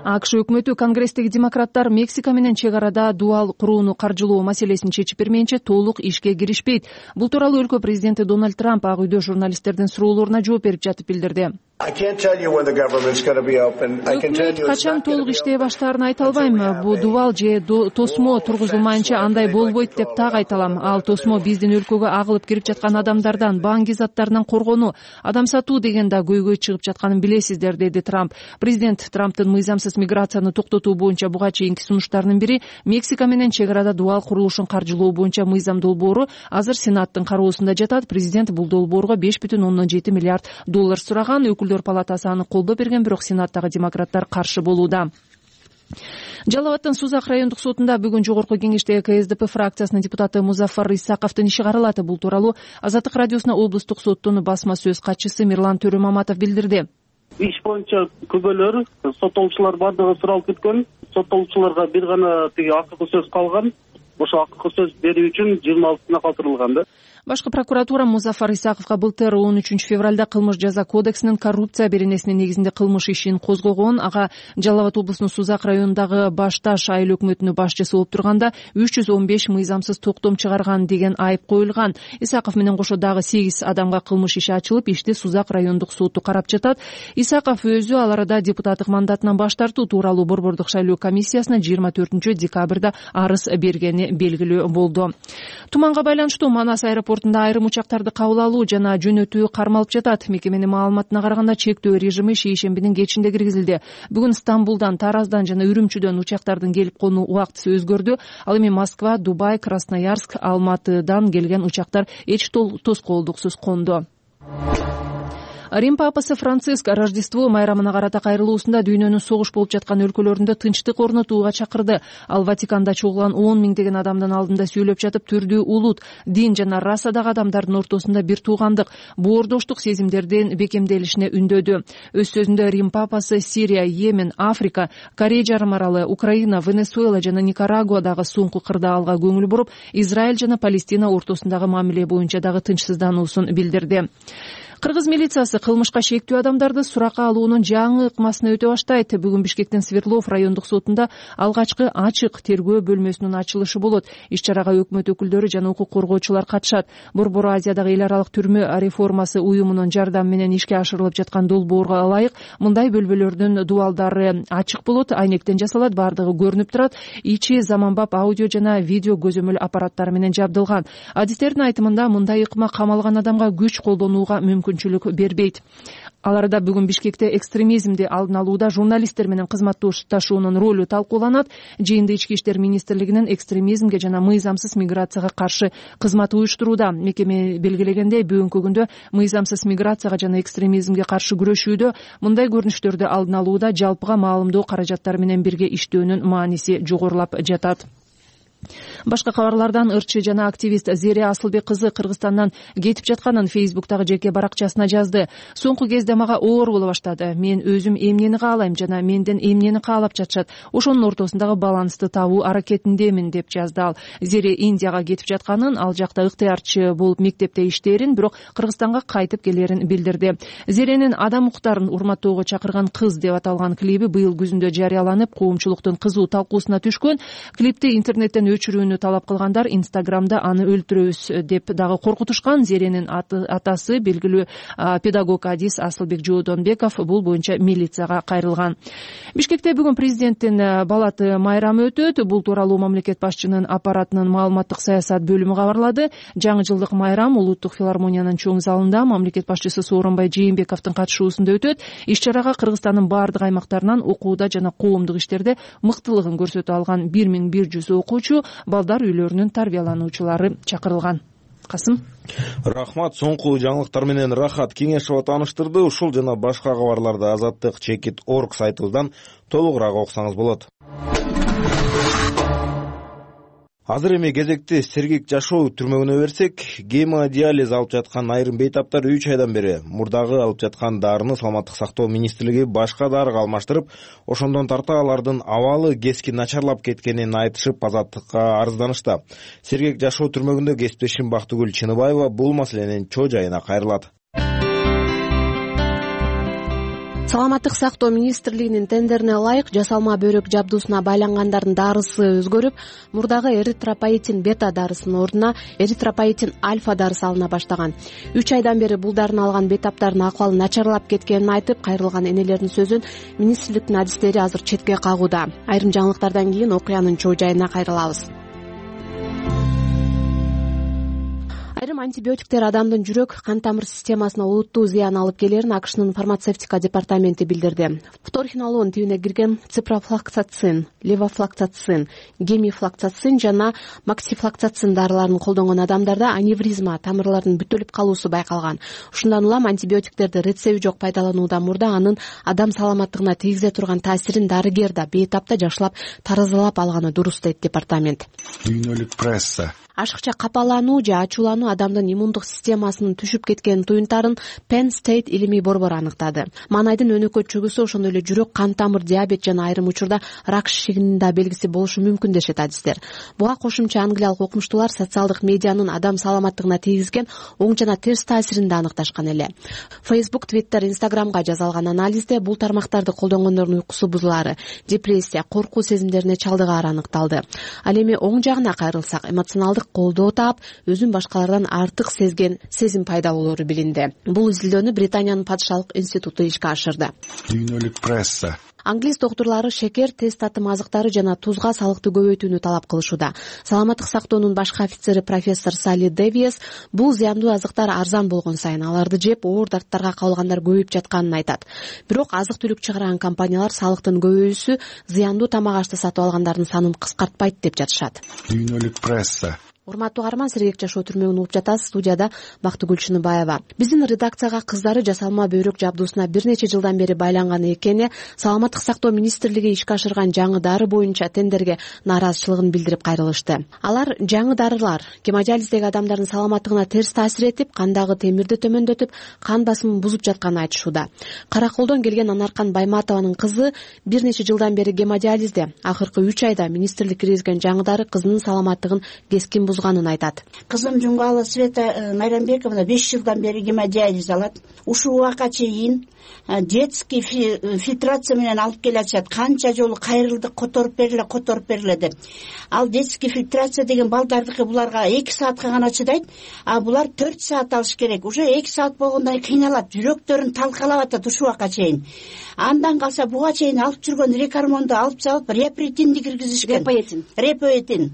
АКШ өкмөтү Конгресстеги демократтар Мексика менен чек арада дуал курууну каржылоо маселесин чечип бермейинче толук ишке киришпейт. Бул тууралуу өлкө президенти Дональд Трамп Ак үйдө журналисттердин суроолоруна жооп берип жатып билдирди. Өкмөт качан толук иштей баштаарын айта албайм. Бул дубал же тосмо тургузулмайынча андай болбойт деп так айта алам. Ал тосмо биздин өлкөгө агылып кирип жаткан адамдардан, банки заттарынан коргонуу, адам сатуу деген да көйгөй чыгып жатканын билесиздер, деди Трамп. Президент Трамптын мыйзамсыз миграцияны токтотуу боюнча буга чейинки сунуштарынын бири Мексика менен чек арада дубал курулушун каржылоо боюнча мыйзам долбоору азыр Сенаттын кароосунда жатат. Президент бул долбоорго $5,7 миллиард сураган. Өкүлдөр палатасы аны колдоо берген, бирок Сенаттагы демократтар каршы болууда. Жалал Абадтын Сузак райондук сотунда бүгүн жогорку кеңештеги КСДП фракциясынын депутаты Музафар Исаковдун иши каралат. Бул тууралуу Азаттык радиосуна облустук соттун басма сөз катчысы Мирлан Төрөмаматов билдирди. Иш боюнча күбөлөр, соттолуучулар бардыгы суралып кеткен. Соттолуучуларга бир гана акыркы сөз калган. Ошо акыркы сөз берүү үчүн 26-сына калтырылган да. Башкы прокуратура Музафар Исаковго былтыр 13 февралда кылмыш жаза кодексинин коррупция беренесинин негизинде кылмыш ишин козгогон. Ага Жалал Абад облусунун Сузак районундагы Башташ айыл өкмөтүнүн башчысы болуп турганда 315 мыйзамсыз токтом чыгарган деген айып коюлган. Исаков менен кошо дагы 8 адамга кылмыш иши ачылып, ишти Сузак райондук соту карап жатат. Исаков өзү ал арада депутаттык мандатынан баш тартуу тууралуу борбордук шайлоо комиссиясына 24 декабрда арыз бергени белгилүү болду. Туманга байланыштуу Манас аэропорту портунда айрым учактарды кабыл алуу жана жөнөтүү кармалып жатат. Мекеменин маалыматына караганда чектөө режими шейшембинин кечинде киргизилди. Бүгүн Стамбулдан, Тараздан жана Үрүмчүдөн учактардын келип конуу убактысы өзгөрдү. Ал эми Москва, Дубай, Красноярск, Алматыдан келген учактар эч тоскоолдуксуз конду. Рим папасы Франциск Рождество майрамына карата кайрылуусунда дүйнөнүн согуш болуп жаткан өлкөлөрүндө тынчтык орнотууга чакырды. Ал Ватиканда чогулган 10 миңдеген адамдын алдында сүйлөп жатып, түрдүү улут, дин жана расадагы адамдардын ортосунда бир туугандык, боордоштук сезимдердин бекемделишине үндөдү. Өз сөзүндө Рим папасы Сирия, Йемен, Африка, Корей жарым аралы, Украина, Венесуэла жана Никарагуадагы суңку кырдаалга көңүл буруп, Израиль жана Палестина ортосундагы мамиле боюнча дагы тынчсыздануусун билдирди. Кыргыз милициясы кылмышка шектүү адамдарды суракка алуунун жаңы ыкмасына өтө баштайт. Бүгүн Бишкектин Свердлов райондук сотунда алгачкы ачык тергөө бөлмөсүнүн ачылышы болот. Иш-чарага өкмөт өкүлдөрү жана укук коргоочулар катышат. Борбор Азиядагы эл аралык түрмө реформасы уюмунун жардамы менен ишке ашырылып жаткан долбоорго ылайык мындай бөлмөлөрдүн дубалдары ачык болот, айнектен жасалат, баардыгы көрүнүп турат. Ичи заманбап аудио жана видео көзөмөл аппараттары менен жабдылган. Адистердин айтымында мындай ыкма камалган адамга күч колдонууга мүмкүнчүлүк бербейт. Аларда бүгүн Бишкекте экстремизмди алдын алууда журналисттер менен кызматташуунун ролу талкууланат. Жыйында Ички иштер министрлигинин экстремизмге жана мыйзамсыз миграцияга каршы кызматы уюштурууда. Мекеме белгилегендей, бүгүнкү күндө мыйзамсыз миграцияга жана экстремизмге каршы күрөшүүдө, мындай көрүнүштөрдү алдын алууда жалпыга маалымдоо каражаттары менен бирге иштөөнүн мааниси жогорулап жатат. Башка кабарлардан ырчы жана активист Зере Асылбек кызы Кыргызстандан кетип жатканын Фейсбуктагы жеке баракчасына жазды. Соңку кезде мага оор боло баштады. Мен өзүм эмнени каалайм жана менден эмнени каалап жатышат. Ошонун ортосундагы балансты табуу аракетиндемин деп жазды ал. Зере Индияга кетип жатканын, ал жакта ыктыярчы болуп мектепте иштээрин, бирок Кыргызстанга кайтып келерин билдирди. Зеренин адам укуктарын урматтоого чакырган кыз деп аталган клиби быйыл күзүндө жарыяланып, коомчулуктун кызуу талкуусуна түшкөн. Клипти интернеттен өчүрүүнү талап кылгандар Инстаграмда аны өлтүрөбүз деп дагы коркутушкан. Зеренин атасы белгилүү педагог адис Асылбек Жоодонбеков бул боюнча милицияга кайрылган. Бишкекте бүгүн президенттин балаты майрамы өтөт. Бул тууралуу мамлекет башчынын аппаратынын маалыматтык саясат бөлүмү кабарлады. Жаңы жылдык майрам Улуттук филармониянын чоң залында мамлекет башчысы Сооронбай Жээнбековдун катышуусунда өтөт. Иш-чарага Кыргызстандын бардык аймактарынан окууда жана коомдук иштерде мыктылыгын көрсөтө алган 1100 окуучу, балдар үйлөрүнүн тарбиялануучулары чакырылган. Касым. Рахмат. Соңку жаңылыктар менен Рахат Кеңешова тааныштырды. Ушул жана башка кабарларды Азаттык.org сайтыбыздан толугураак окусаңыз болот. Азыр эми кезекти Сергек жашоо түрмөгүнө берсек, гемодиализ алып жаткан айрым бейтаптар 3 айдан бери мурдагы алып жаткан дарыны Саламаттык сактоо министрлиги башка дарыга алмаштырып, ошондон тарта алардын абалы кескин начарлап кеткенин айтышып, Азаттыкка арызданышты. Сергек жашоо түрмөгүндө кесиптешим Бактыгүл Чыныбаева бул маселенин чоо жайына кайрылат. Саламаттык сактоо министрлигинин тендерине ылайык жасалма бөйрөк жабдуусуна байлангандардын дарысы өзгөрүп, мурдагы эритропоетин бета дарысынын ордуна эритропоетин альфа дарысы алына баштаган. 3 айдан бери бул дарыны алган бетаптардын акыбалы начарлап кеткенин айтып, кайрылган энелердин сөзүн министрликтин адистери азыр четке кагууда. Айрым жаңылыктардан кийин окуянын чоо жайына кайрылабыз. Айрым антибиотиктер адамдын жүрөк, кан тамыр системасына олуттуу зыян алып келерин АКШнын фармацевтика департаменти билдирди. Фторхинолон тибине кирген ципрофлоксацин, левофлоксацин, гемифлоксацин жана максифлоксацин дарыларын колдонгон адамдарда аневризма, тамырлардын бүтөлүп калуусу байкалган. Ушундан улам антибиотиктерди рецепти жок пайдалануудан мурда анын адам саламаттыгына тийгизе турган таасирин дарыгер да бейтапта жакшылап таразалап алганы дурус дейт департамент. Дүйнөлүк пресса ашыкча капалануу же ачуулануу адамдын иммундук системасынын түшүп кеткен туюнтарын Penn State илимий борбору аныктады. Маанайдын өнөкөт чүгүсү ошондой эле жүрөк, кан тамыр, диабет жана айрым учурда рак шишигинин да белгиси болушу мүмкүн дешет адистер. Буга кошумча англиялык окумуштуулар социалдык медианын адам саламаттыгына тийгизген оң жана терс таасирин да аныкташкан эле. Facebook, Twitter, Instagramга жасалган анализде бул тармактарды колдонгондордун уйкусу бузулаары, депрессия, коркуу сезимдерине чалдыгаары аныкталды. Ал эми оң жагына кайрылсак, эмоционалдык колдоо таап, өзүн башкалардан артык сезген сезим пайда болоору билинди. Бул изилдөөнү Британиянын падышалык институту ишке ашырды. Дүйнөлүк пресса Англис доктурлары шекер, тест татым азыктары жана тузга салыкты көбөйтүүнү талап кылышууда. Саламаттык сактоонун башкы офицери профессор Салли Дэвиес бул зыяндуу азыктар арзан болгон сайын аларды жеп оор дарттарга кабылгандар көбөйүп жатканын айтат. Бирок азык-түлүк чыгарган компаниялар салыктын көбөйүүсү зыяндуу тамак ашты сатып алгандардын санын кыскартпайт деп жатышат. Дүйнөлүк пресса. Урматтуу каарман, Сергек жашоо түрмөгүн угуп жатасыз. Студияда Бактыгүл Чыныбаева. Биздин редакцияга кыздары жасалма бөйрөк жабдуусуна бир нече жылдан бери байланган экени Саламаттык сактоо министрлиги ишке ашырган жаңы дары боюнча тендерге нааразычылыгын билдирип кайрылышты. Алар жаңы дарылар гемодиализдеги адамдардын саламаттыгына терс таасир этип, кандагы темирди төмөндөтүп, кан басымын бузуп жатканын айтышууда. Караколдон келген Анаркан Байматованын кызы бир нече жылдан бери гемодиализде. Акыркы 3 айда министрлик киргизген жаңы дары кызынын саламаттыгын кескин бузганын айтат. Кызым Жумгала Света Майрамбековна 5 жылдан бери гемодиализ алат. Ушул убакка чейин детский фильтрация менен алып келатышат. Канча жолу кайрылдык, которуп бериле деп. Ал детский фильтрация деген балдардыкы буларга 2 саатка гана чыдайт, а булар 4 саат алыш керек. Уже 2 саат болгондон кийин кыйналат, жүрөктөрүн талкалап атат ушул убакка чейин. Андан калса буга чейин алып жүргөн рекормонду алып салып, репоэтинди киргизишкен. Репоэтин.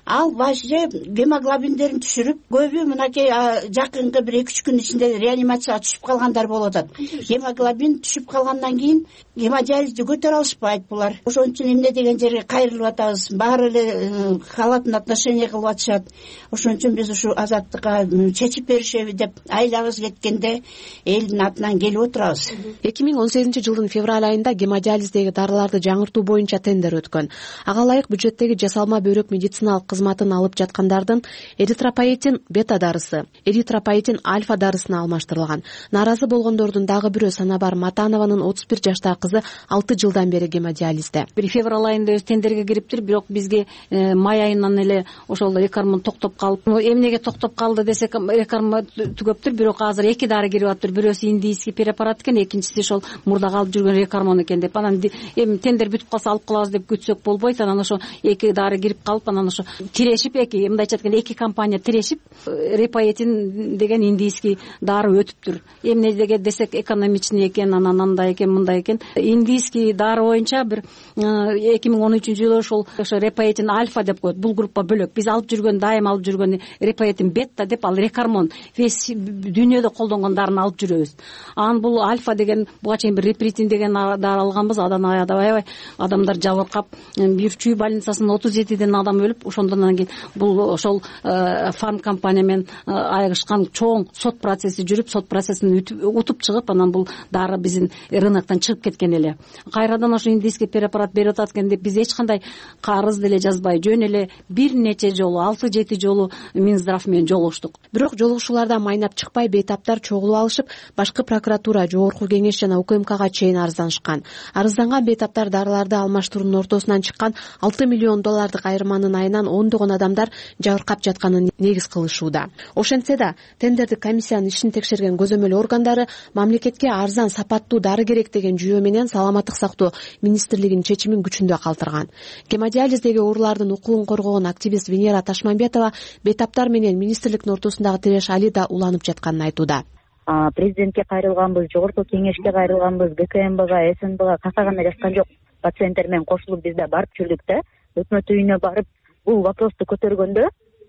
Ал башчы гемоглобиндерин түшүрүп, көбү мынакей жакынкы 1-2 күн ичинде реанимацияга түшүп калгандар болуп атат. Гемоглобин түшүп калгандан кийин гемодиализди көтөрө алышпайт булар. Ошон үчүн эмне деген жерге кайрылып атабыз. Баары эле халатный отношение кылып атышат. Ошон үчүн биз ушу азаттыкка чечип беришеби деп айлабыз кеткенде элдин атынан келип отурабыз. 2018-жылдын февраль айында гемодиализдеги дарыларды жаңыртуу боюнча тендер өткөн. Ага ылайык бюджеттеги жасалма бөйрөк медициналык кызматын алып жаткандардын эритропоэтин бета дарысы, эритропоэтин альфа дарысына алмаштырылган. Нааразы болгондордун дагы бирөө Санабар Матанованын 31 жаштагы кызы 6 жылдан бери гемодиализде. Бир февраль айында тендерге кириптир, бирок бизге май айынан эле ошол рекорм токтоп калып, эмнеге токтоп калды десек, рекорм түгөптүр, бирок азыр 2 дары кирип атыптыр. Бирөөсү индийский препарат экен, экинчиси ошол мурда калып жүргөн рекормон экен деп. Анан эми тендер бүтүп калса алып калабыз деп күтсөк болбойт. Анан ошо 2 дары кирип калып, анан ошо тирешип мындайча айтканда 2 компания тирешип репоэтин деген индийский дары өтүптүр. Эмне деген десек, экономичный экен, анан андай экен, мындай экен. Индийский дары боюнча бир 2013-жылы ошо репоэтин альфа деп коет. Бул группа бөлөк. Биз алып жүргөн, дайым алып жүргөн репоэтин бета деп, ал рекормон. Весь дүйнөдө колдонгон дарыны алып жүрөбүз. Анан бул альфа деген, буга чейин бир репритин деген дары алганбыз. Адан аябай адамдар жабыркап, бир чүй больницасында 37ден адам өлүп, ошондон кийин бул ошол фарм компания менен айырышкан чоң сот процесси жүрүп, сот процессин утуп чыгып, анан бул дары биздин рыноктон чыгып кеткен эле. Кайрадан ошо индийский препарат берип атат экен деп биз эч кандай карыз деле жазбай, жөн эле бир нече жолу, 6-7 жолу Минздрав менен жолугуштук. Бирок жолугушуулардан майнап чыкпай, бейтаптар чогулуп алышып, башкы прокуратура, жогорку кеңеш жана УКМКга чейин арызданышкан. Арызданган бейтаптар дарыларды алмаштыруунун ортосунан чыккан $6 миллион айырманын айынан ондогон адамдар жабыркап жатканын негиз кылышууда. Ошентсе да, тендердик комиссиянын ишин текшерген көзөмөл органдары мамлекетке арзан, сапаттуу дары керек деген жүйө менен Саламаттык сактоо министрлигинин чечимин күчүндө калтырган. Гемодиализдеги оорулардын укугун коргогон активист Венера Ташмамбетова бейтаптар менен министрликтин ортосундагы тиреш али да уланып жатканын айтууда. Президентке кайрылганбыз, жогорку кеңешке кайрылганбыз, ГКМБга, СНБга каса гана жазган жок. Пациенттер менен кошулуп биз да барып жүрдүк да, өкмөт үйүнө барып бул вопросту көтөргөндө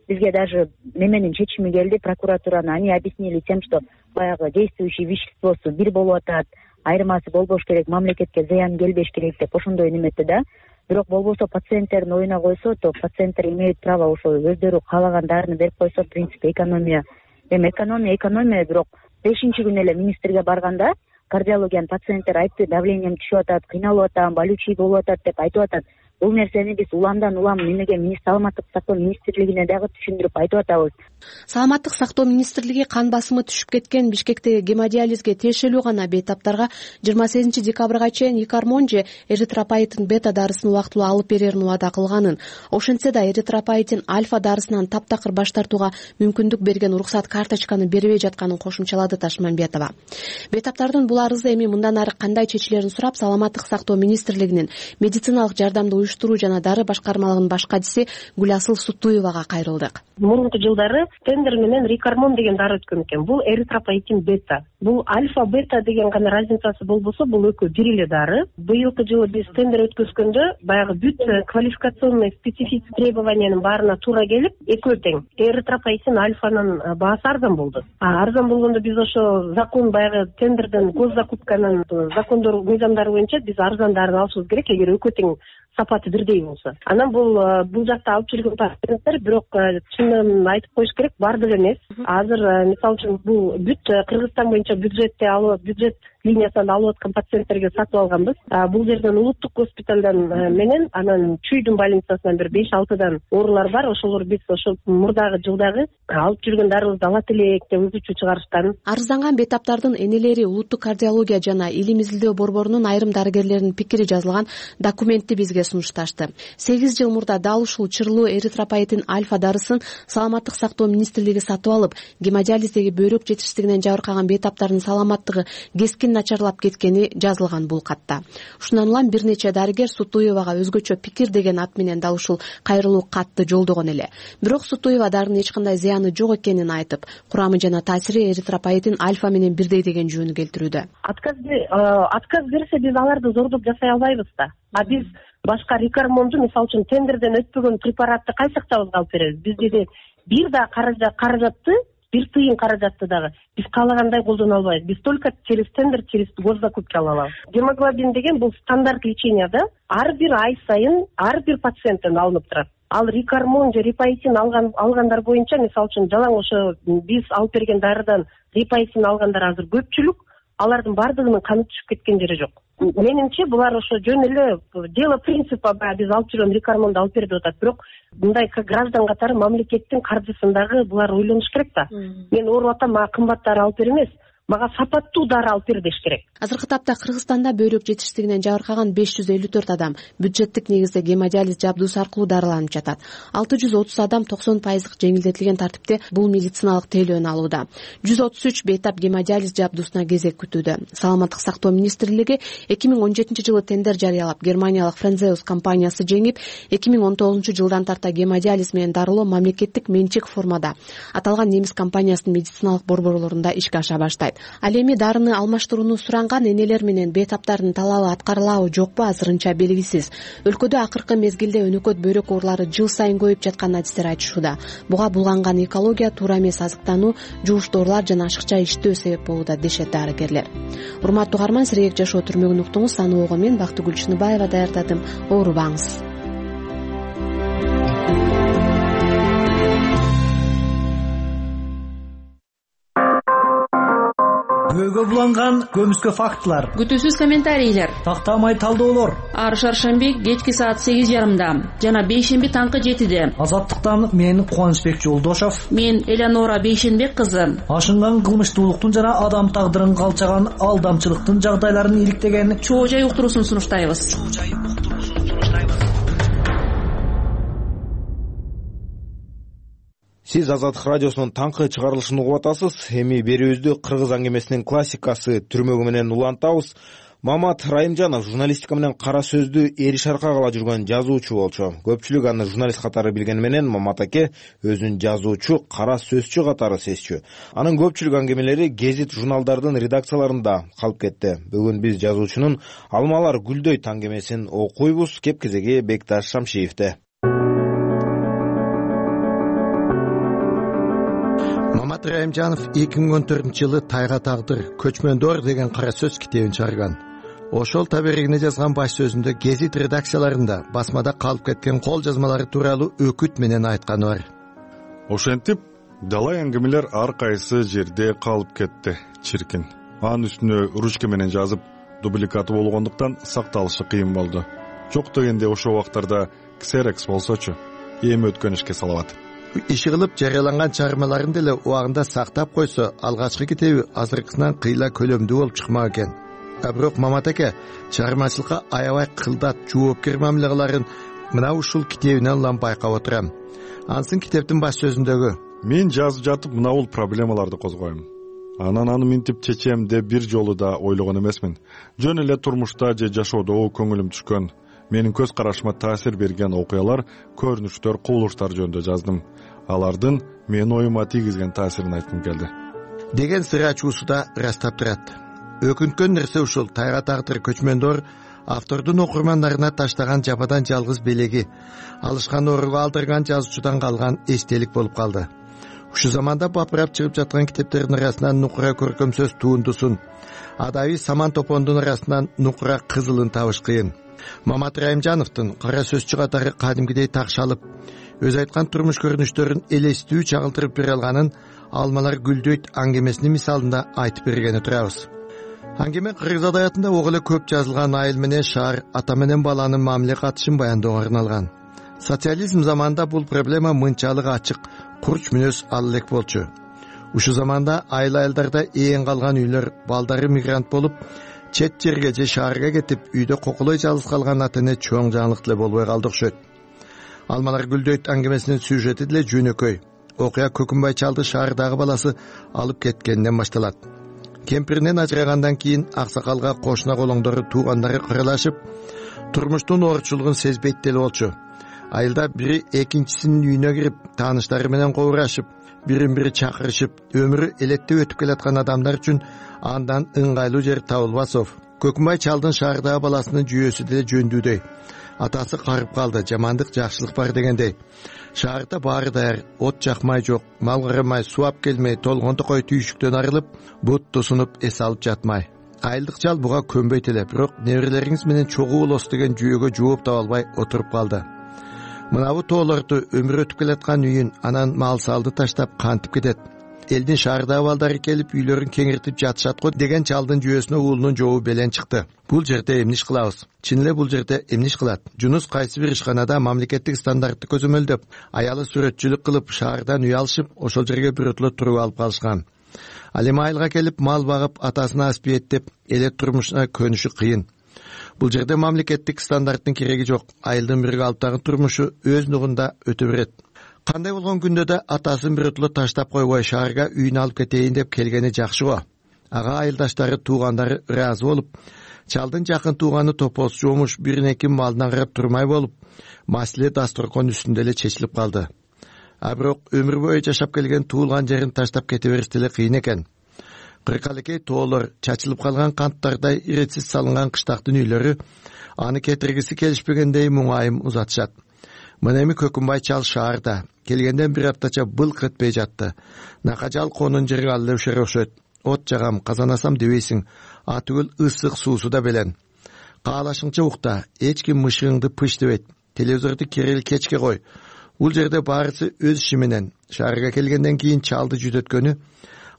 бизге даже неменин чечими келди, прокуратураны они объяснили тем, что баягы действующий веществосу бир болуп атат, айырмасы болбош керек, мамлекетке зыян келбеш керек деп ошондой неметти да. Бирок болбосо пациенттердин оюна койсо, то пациенттер имеют право ошо өздөрү каалаган дарыны берип койсо, в принципе экономия. Эми экономия, бирок 5-күнү эле министрге барганда кардиологиянын пациенттер айтты, давлением түшүп атат, кыйналып атам, болючий болуп атат деп айтып атат. Бул нерсени биз уламдан улам эмнеге Саламаттык сактоо министрлигине дагы түшүндүрүп айтып атабыз. Саламаттык сактоо министрлиги кан басымы түшүп кеткен Бишкектеги гемодиализге тиешелүү гана бейтаптарга 28 декабрга чейин икармон же эритропоэтин бета дарысын убактылуу алып берерин убада кылганын, ошентсе да эритропоэтин альфа дарысынан таптакыр баш тартууга мүмкүндүк берген уруксат карточканы бербей жатканын кошумчалады Ташмамбетова. Бейтаптардын бул арызы эми мындан ары кандай чечилерин сурап, Саламаттык сактоо министрлигинин медициналык жардамды уюштуруу жана дары башкармалыгынын баш катчысы Гүласыл Сутуевага кайрылдык. Мурунку жылдары тендер менен Рикармон деген дары өткөн экен. Бул эритропоэтин бета. Бул альфа бета деген гана разницасы болбосо, бул экөө бир эле дары. Быйылкы жылы биз тендер өткөзгөндө баягы бүт квалификационный специфический требованиянын баарына туура келип, экөө тең. Эритропоэтин альфанын баасы арзан болду. Арзан болгондо биз ошо закон баягы тендерден госзакупканын закондор мыйзамдары боюнча биз арзан дарыны алышыбыз керек, эгер экөө тең сапаты бирдей болсо. Анан бул жакта алып жүргөн пациенттер, бирок чынын айтып коюш керек, бар деле эмес. Азыр мисалы үчүн бул бүт Кыргызстан боюнча бюджет линиясынан алып аткан пациенттерге сатып алганбыз. Бул жерден улуттук госпиталдан менен анан Чүйдүн больницасынан бир 5-6дан оорулар бар. Ошолор биз ошо мурдагы жылдагы алып жүргөн дарыбызды алат элек деп өзүчө чыгарышкан. Арызданган бейтаптардын энелери улуттук кардиология жана илим изилдөө борборунун айрым дарыгерлеринин пикири жазылган документти бизге сунушташты. 8 жыл мурда дал ушул чырлуу эритропоэтин альфа дарысын саламаттык сактоо министрлиги сатып алып, гемодиализдеги бөйрөк жетишсиздигинен жабыркаган бейтаптардын саламаттыгы кескин начарлап кеткени жазылган бул катта. Ушундан улам бир нече дарыгер Сутуевага өзгөчө пикир деген ат менен дал ушул кайрылуу катты жолдогон эле. Бирок Сутуева дарынын эч кандай зыяны жок экенин айтып, курамы жана таасири эритропоэтин альфа менен бирдей деген жөнү келтирүүдө. Отказ берсе биз аларды зордоп жасай албайбыз да. Биз башка Рикармонду, мисалы үчүн, тендерден өтпөгөн препаратты кайсы актабызга алып беребиз? Бизде бир да каражатты, бир тыйын каражатты дагы биз каалагандай колдоно албайбыз. Биз только через тендер, через госзакупки ала алабыз. Гемоглобин деген бул стандарт лечения да. Ар бир ай сайын ар бир пациенттен алынып турат. Ал Рикармон же рипоэтин алгандар боюнча, мисалы үчүн, жалаң ошо биз алып берген дарыдан рипоэтин алгандар азыр көпчүлүк, алардын бардыгынын каны түшүп кеткен жери жок. Менимче булар ошо жөн эле дело принципа, биз алып жүргөн Рикармонду алып бер деп атат. Бирок мындай граждан катары мамлекеттин каржысындагы булар ойлонуш керек да. Мен ооруп атам, мага кымбат дары алып бер эмес, мага сапаттуу дары алып бер деш керек. Азыркы тапта Кыргызстанда бөйрөк жетишсиздигинен жабыркаган 554 адам бюджеттик негизде гемодиализ жабдуусу аркылуу дарыланып жатат. 630 адам 90% жеңилдетилген тартипте бул медициналык тейлөөнү алууда. 133 бейтап гемодиализ жабдуусуна кезек күтүүдө. Саламаттык сактоо министрлиги 2017 жылы тендер жарыялап, германиялык Френзеус компаниясы жеңип, 2019 жылдан тарта гемодиализ менен дарылоо мамлекеттик менчик формада аталган немис компаниясынын медициналык борборлорунда ишке аша баштайт. Ал эми дарыны алмаштырууну суранган энелер менен бейтаптардын талабы аткарылабы жокпу азырынча белгисиз. Өлкөдө акыркы мезгилде өнөкөт бөйрөк оорулары жыл сайын көбөйүп жатканын адистер айтышууда. Буга булганган экология, туура эмес азыктануу, жугуш доорулар жана ашыкча иштөө себеп болууда дешет дарыгерлер. Урматтуу угарман, сирек жашоо түрмөгүн уктуңуз. Аны ого мен Бактыгүл Чыныбаева даярдадым. Оорубаңыз. Көйгө буланган көмүскө фактылар, күтүүсүз комментарийлер, тактамай талдоолор. Ар шаршемби кечки саат 8:30, жана бейшемби таңкы 7-де. Азаттыктан мен Кубанычбек Жолдошов, мен Элеонора Бейшенбек кызы. Ашынган кылмыштуулуктун жана адам тагдырын калчаган алдамчылыктын жагдайларын иликтеген чоо жай уктуруусун сунуштайбыз. Сиз Азаттык радиосунун таңкы чыгарылышын угуп атасыз. Эми берүүбүздү кыргыз аңгемесинин классикасы түрмөгү менен улантабыз. Мамат Райымжанов журналистика менен кара сөздү эриш аркага ала жүргөн жазуучу болчу. Көпчүлүк аны журналист катары билгени менен Мамат аке өзүн жазуучу, кара сөзчү катары сезчү. Анын көпчүлүк аңгемелери гезит журналдардын редакцияларында калып кетти. Бүгүн биз жазуучунун Алмалар гүлдөйт аңгемесин окуйбуз. Кеп кезеги Бекташ Шамшиевде. Мамат Райымжанов 2014-жылы Тайга тагдыр, көчмөндөр деген кара сөз китебин чыгарган. Ошол таберегине жазган баш сөзүндө гезит редакцияларында басмада калып кеткен кол жазмалары тууралуу өкүт менен айтканы бар. Ошентип, далай аңгемелер ар кайсы жерде калып кетти. Чиркин. Анын үстүнө ручка менен жазып, дубликаты болгондуктан сакталышы кыйын болду. Жок дегенде ошол убактарда ксерекс болсочу, эми өткөн ишке салабат. Иши кылып жарыяланган чыгармаларын деле убагында сактап койсо, алгачкы китеби азыркысынан кыйла көлөмдүү болуп чыкмак экен. Бирок Мамат аке чыгармачылыкка аябай кылдат, жоопкер мамиле кыларын мына ушул китебинен улам байкап отурам. Ансын китептин баш сөзүндөгү: мен жазып жатып мына бул проблемаларды козгойм. Анан аны минтип чечем деп бир жолу да ойлогон эмесмин. Жөн эле турмушта же жашоодо көңүлүм түшкөн. менин көз карашыма таасир берген окуялар, көрүнүштөр, кубулуштар жөнүндө жаздым. Алардын менин оюма тийгизген таасирин айткым келди деген сыр ачуусу да ырастап турат. Өкүнткөн нерсе ушул: тайга тагдыр көчмөндөр автордун окурмандарына таштаган жападан жалгыз белеги, алышкан орууга алдырган жазуучудан калган эстелик болуп калды. Ушул заманда бапырап чыгып жаткан китептердин арасынан нукура көркөм сөз туундусун, адабий саман топондун арасынан нукура кызылын табыш кыйын. Мамат Райымжановдун кара сөзчү катары кадимкидей такшалып, өз айткан турмуш көрүнүштөрүн элестүү чагылтырып бере алганын Алмалар гүлдөйт аңгемесинин мисалында айтып бергени турабыз. Аңгеме кыргыз адабиятында ого эле көп жазылган айыл менен шаар, ата менен баланын мамиле катышын баяндоого арналган. Социализм заманында бул проблема мынчалык ачык, курч мүнөз ал элек болчу. Ушул заманда айыл-айылдарда ээн калган үйлөр, балдары мигрант болуп, чет жерге же шаарга кетип, үйдө кокулой жалгыз калган ата эне чоң жаңылык деле болбой калды окшойт. Алмалар гүлдөйт аңгемесинин сюжети деле жөнөкөй. Окуя Көкүмбай чалды шаардагы баласы алып кеткенден башталат. Кемпиринен ажырагандан кийин аксакалга кошуна колоңдору, туугандары кырылашып, турмуштун оорчулугун сезбейт деле болчу. Айылда бири экинчисинин үйүнө кирип, тааныштары менен кобурашып, бирин-бири чакырышып, өмүрү элеттеп өтүп келаткан адамдар үчүн андан ыңгайлуу жер табылбасов. Көкүмбай чалдын шаардагы баласынын жүйөсү деле жөндүүдөй. Атасы карып калды, жамандык жакшылык бар дегендей. Шаарда баары даяр, от жакмай жок, мал карамай, суу ап келмей, толгон токой түйшүктөн арылып, бут тусунуп эс алып жатмай. Айылдык чал буга көнбөйт эле, бирок неберелериңиз менен чогуу болосуз деген жүйөгө жооп таба албай отуруп калды. Мынабу тоолорду, өмүр өтүп келаткан үйүн, анан мал салды таштап кантип кетет. Элдин шаардагы балдары келип үйлөрүн кеңиртип жатышат го деген чалдын жүйөсүнө уулунун жообу белен чыкты. Бул жерде эмне иш кылабыз? Чын эле бул жерде эмне иш кылат? Жунус кайсы бир ишканада мамлекеттик стандартты көзөмөлдөп, аялы сүрөтчүлүк кылып, шаардан үй алышып, ошол жерге бирөтлө туруп алып калышкан. Ал эми айылга келип, мал багып, атасына аспиеттеп, эле турмушуна көнүшү кыйын. Бул жерде мамлекеттик стандарттын кереги жок. Айылдын бирге алыптагы турмушу өз нугунда өтө берет. Кандай болгон күндө да атасын бирөтлө таштап койбой шаарга үйүн алып кетейин деп келгени жакшы го. Ага айылдаштары, туугандары ыраазы болуп, чалдын жакын тууганы топоз жомуш биринеки малынан карап турмай болуп, маселе дасторкон үстүндө эле чечилип калды. А бирок өмүр бою жашап келген туулган жерин таштап кете бериш деле кыйын экен. Кыркалекей тоолор, чачылып калган канттардай иретсиз салынган кыштактын үйлөрү аны кетиргиси келишпегендей муңайым узатышат. Мына эми Көкүмбай чал шаарда келгенден бир аптача былк этпей жатты. Накажал конун жери ал эле ушер окшойт. От жагам, казанасам дебейсиң, а түгүл ысык суусу да белен. Каалашыңча укта, эч ким мышыгыңды пыш дебейт. Телевизорду керели кечке кой. Бул жерде баарысы өз иши менен. Шаарга келгенден кийин чалды жүдөткөнү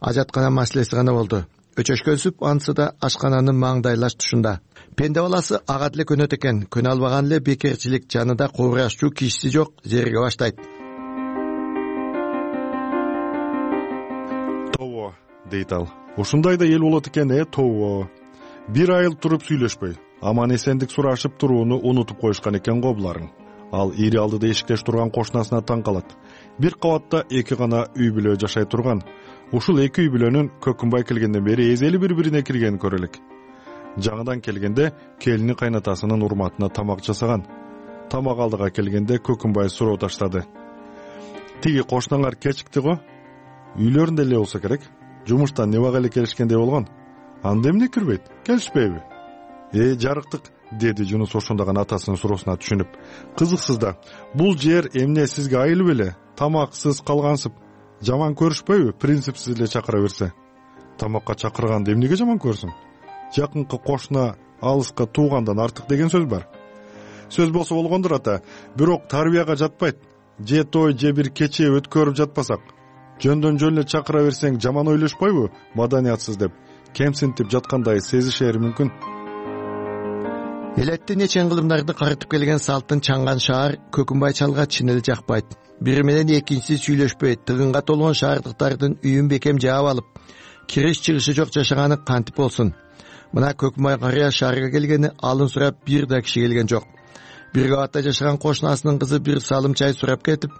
ажаткана маселеси гана болду. Өчөшкөнсүп анысы да ашкананын маңдайлаш тушунда. Пенде баласы ага деле көнөт экен, көнө албаган эле бекерчилик, жанында кобурашчу кишиси жок, зерге баштайт. Тобо, дейт ал. Ушундай да эл болот экен, тобо. Бир айыл туруп сүйлөшпөй, аман эсендик сурашып турууну унутуп коюшкан экен го буларың. Ал ири алдыда эшиктеш турган кошунасына таң калат. Бир кабатта эки гана үй бүлө жашай турган. Ушул эки үй бүлөнүн Көкүмбай келгенден бери эзели бири-бирине киргенин көрөлүк. Жаңыдан келгенде келини кайнатасынын урматына тамак жасаган. Тамак алдыга келгенде Көкүмбай суроо таштады. Тиги кошунаңар кечикти го? Үйлөрүндө эле болсо керек. Жумуштан небага эле келишкендей болгон. Анда эмне кирбейт? Келишпейби? Жарыктык, деди Жунус ошондоган атасынын суроосуна түшүнүп. Кызыксыз да, бул жер эмне сизге айыл беле? Тамаксыз калгансып. Жаман көрүшпөйбү? Принципсиз эле чакыра берсе. Тамакка чакырганды эмнеге жаман көрсүң? Жакынкы кошуна алыска туугандан артык деген сөз бар. Сөз болсо болгондур ата, бирок тарбияга жатпайт. Же той, же бир кече өткөрүп жатпасак, жөндөн жөн эле чакыра берсең жаман ойлошпойбу? Маданиятсыз деп, кемсинтип жаткандай сезишери мүмкүн. Элеттин нечен кылымдарды карытып келген салттын чаңган шаар Көкүмбай чалга чын эле жакпайт. Бири менен экинчиси сүйлөшпөй, тыгынга толгон шаардыктардын үйүн бекем жаап алып, кириш чыгышы жок жашаганы кантип болсун? Мына Көкүмбай карыя шаарга келгени алын сурап бир да киши келген жок. Бир кабатта жашаган кошунасынын кызы бир салым чай сурап кетип,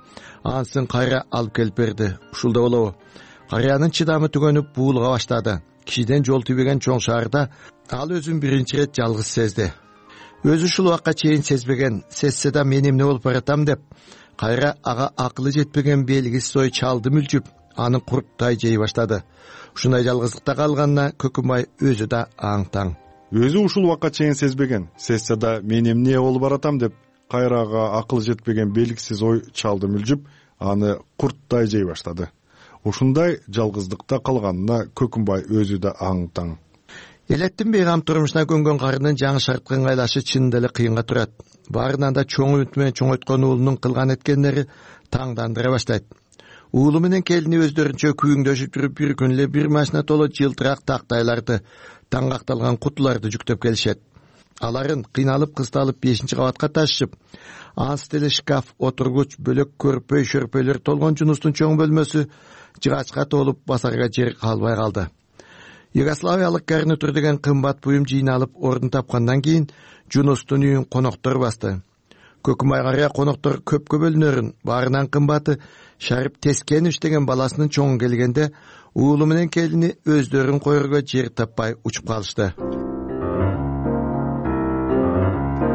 ансын кайра алып келип берди. Ушул да болобу? Карыянын чыдамы түгөнүп буулга баштады. Кишиден жол тийбеген чоң шаарда ал өзүн биринчи ирет жалгыз сезди. өзү ушул убакка чейин сезбеген, сезсе да мен эмне болуп баратам деп кайра ага акылы жетпеген белгисиз ой чалды мүлжүп, аны курттай жей баштады. Ушундай жалгыздыкта калганына Көкүмбай өзү да аң-таң. Өзү ушул убакка чейин сезбеген, сезсе да мен эмне болуп баратам деп кайра ага акылы жетпеген белгисиз ой чалды мүлжүп, аны курттай жей баштады. Ушундай жалгыздыкта калганына Көкүмбай өзү да аң-таң. Элеттин бейгам турмушуна көнгөн карынын жаңы шартка ыңгайлашы чынында эле кыйынга турат. Баарынан да чоң үмүт менен чоңойткон уулунун кылган эткендери таңдандыра баштайт. Уулу менен келини өздөрүнчө күйүңдөшүп жүрүп бир күн эле бир машина толо жылтырак тактайларды, таңгакталган кутуларды жүктөп келишет. Аларын кыйналып кысталып 5-кабатка ташышып, ансы деле шкаф, отургуч, бөлөк көрпөй, шөрпөйлөр толгон Жунустун чоң бөлмөсү жыгачка толуп басарга жер калбай калды. Югославиялык гарнитур деген кымбат буюм жыйналып ордун тапкандан кийин Жунустун үйүн коноктор басты. Көкүмбай карыя коноктор көпкө бөлүнөрүн, баарынан кымбаты Шарип Тескенович деген баласынын чоңу келгенде уулу менен келини өздөрүн койорго жер таппай учуп калышты.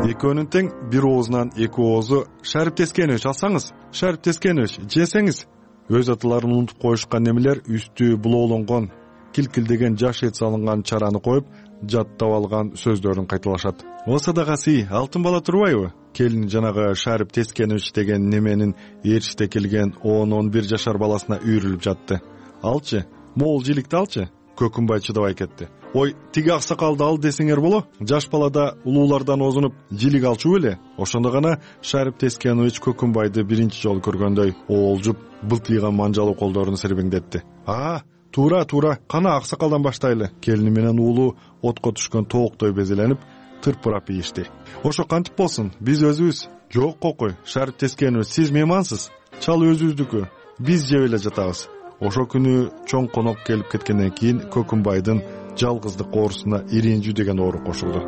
Экөөнүн тең бир оозунан эки оозу Шарип Тескенович алсаңыз, Шарип Тескенович жесеңиз. Өз аталарын унутуп коюшкан немелер үстү булоолонгон, килкилдеген жаш эт салынган чараны коюп, жаттап алган сөздөрүн кайталашат. О садагасы, алтын бала турбайбы? Келин жанагы Шарип Тескенович деген неменин ээрчите келген 10-11 жашар баласына үйрүлүп жатты. Алчы, могул жиликти алчы. Көкүмбай чыдабай кетти. Ой, тиги аксакалды ал десеңер боло, жаш балада улуулардан озунуп жилик алчу беле? Ошондо гана Шарип Тескенович Көкүмбайды биринчи жолу көргөндөй оолжуп, былтыйган манжалуу колдорун сербеңдетти. Туура, кана аксакалдан баштайлы. Келини менен уулу отко түшкөн тооктой безеленип, тырпырап ийишти. Ошо кантип болсун, биз өзүбүз. Жок кокой, Шарип Тескенович, сиз меймансыз. Чал өзүбүздүкү, биз жеп эле жатабыз. Ошо күнү чоң конок келип кеткенден кийин Көкүмбайдын жалгыздык оорусуна иринжүү деген оору кошулду.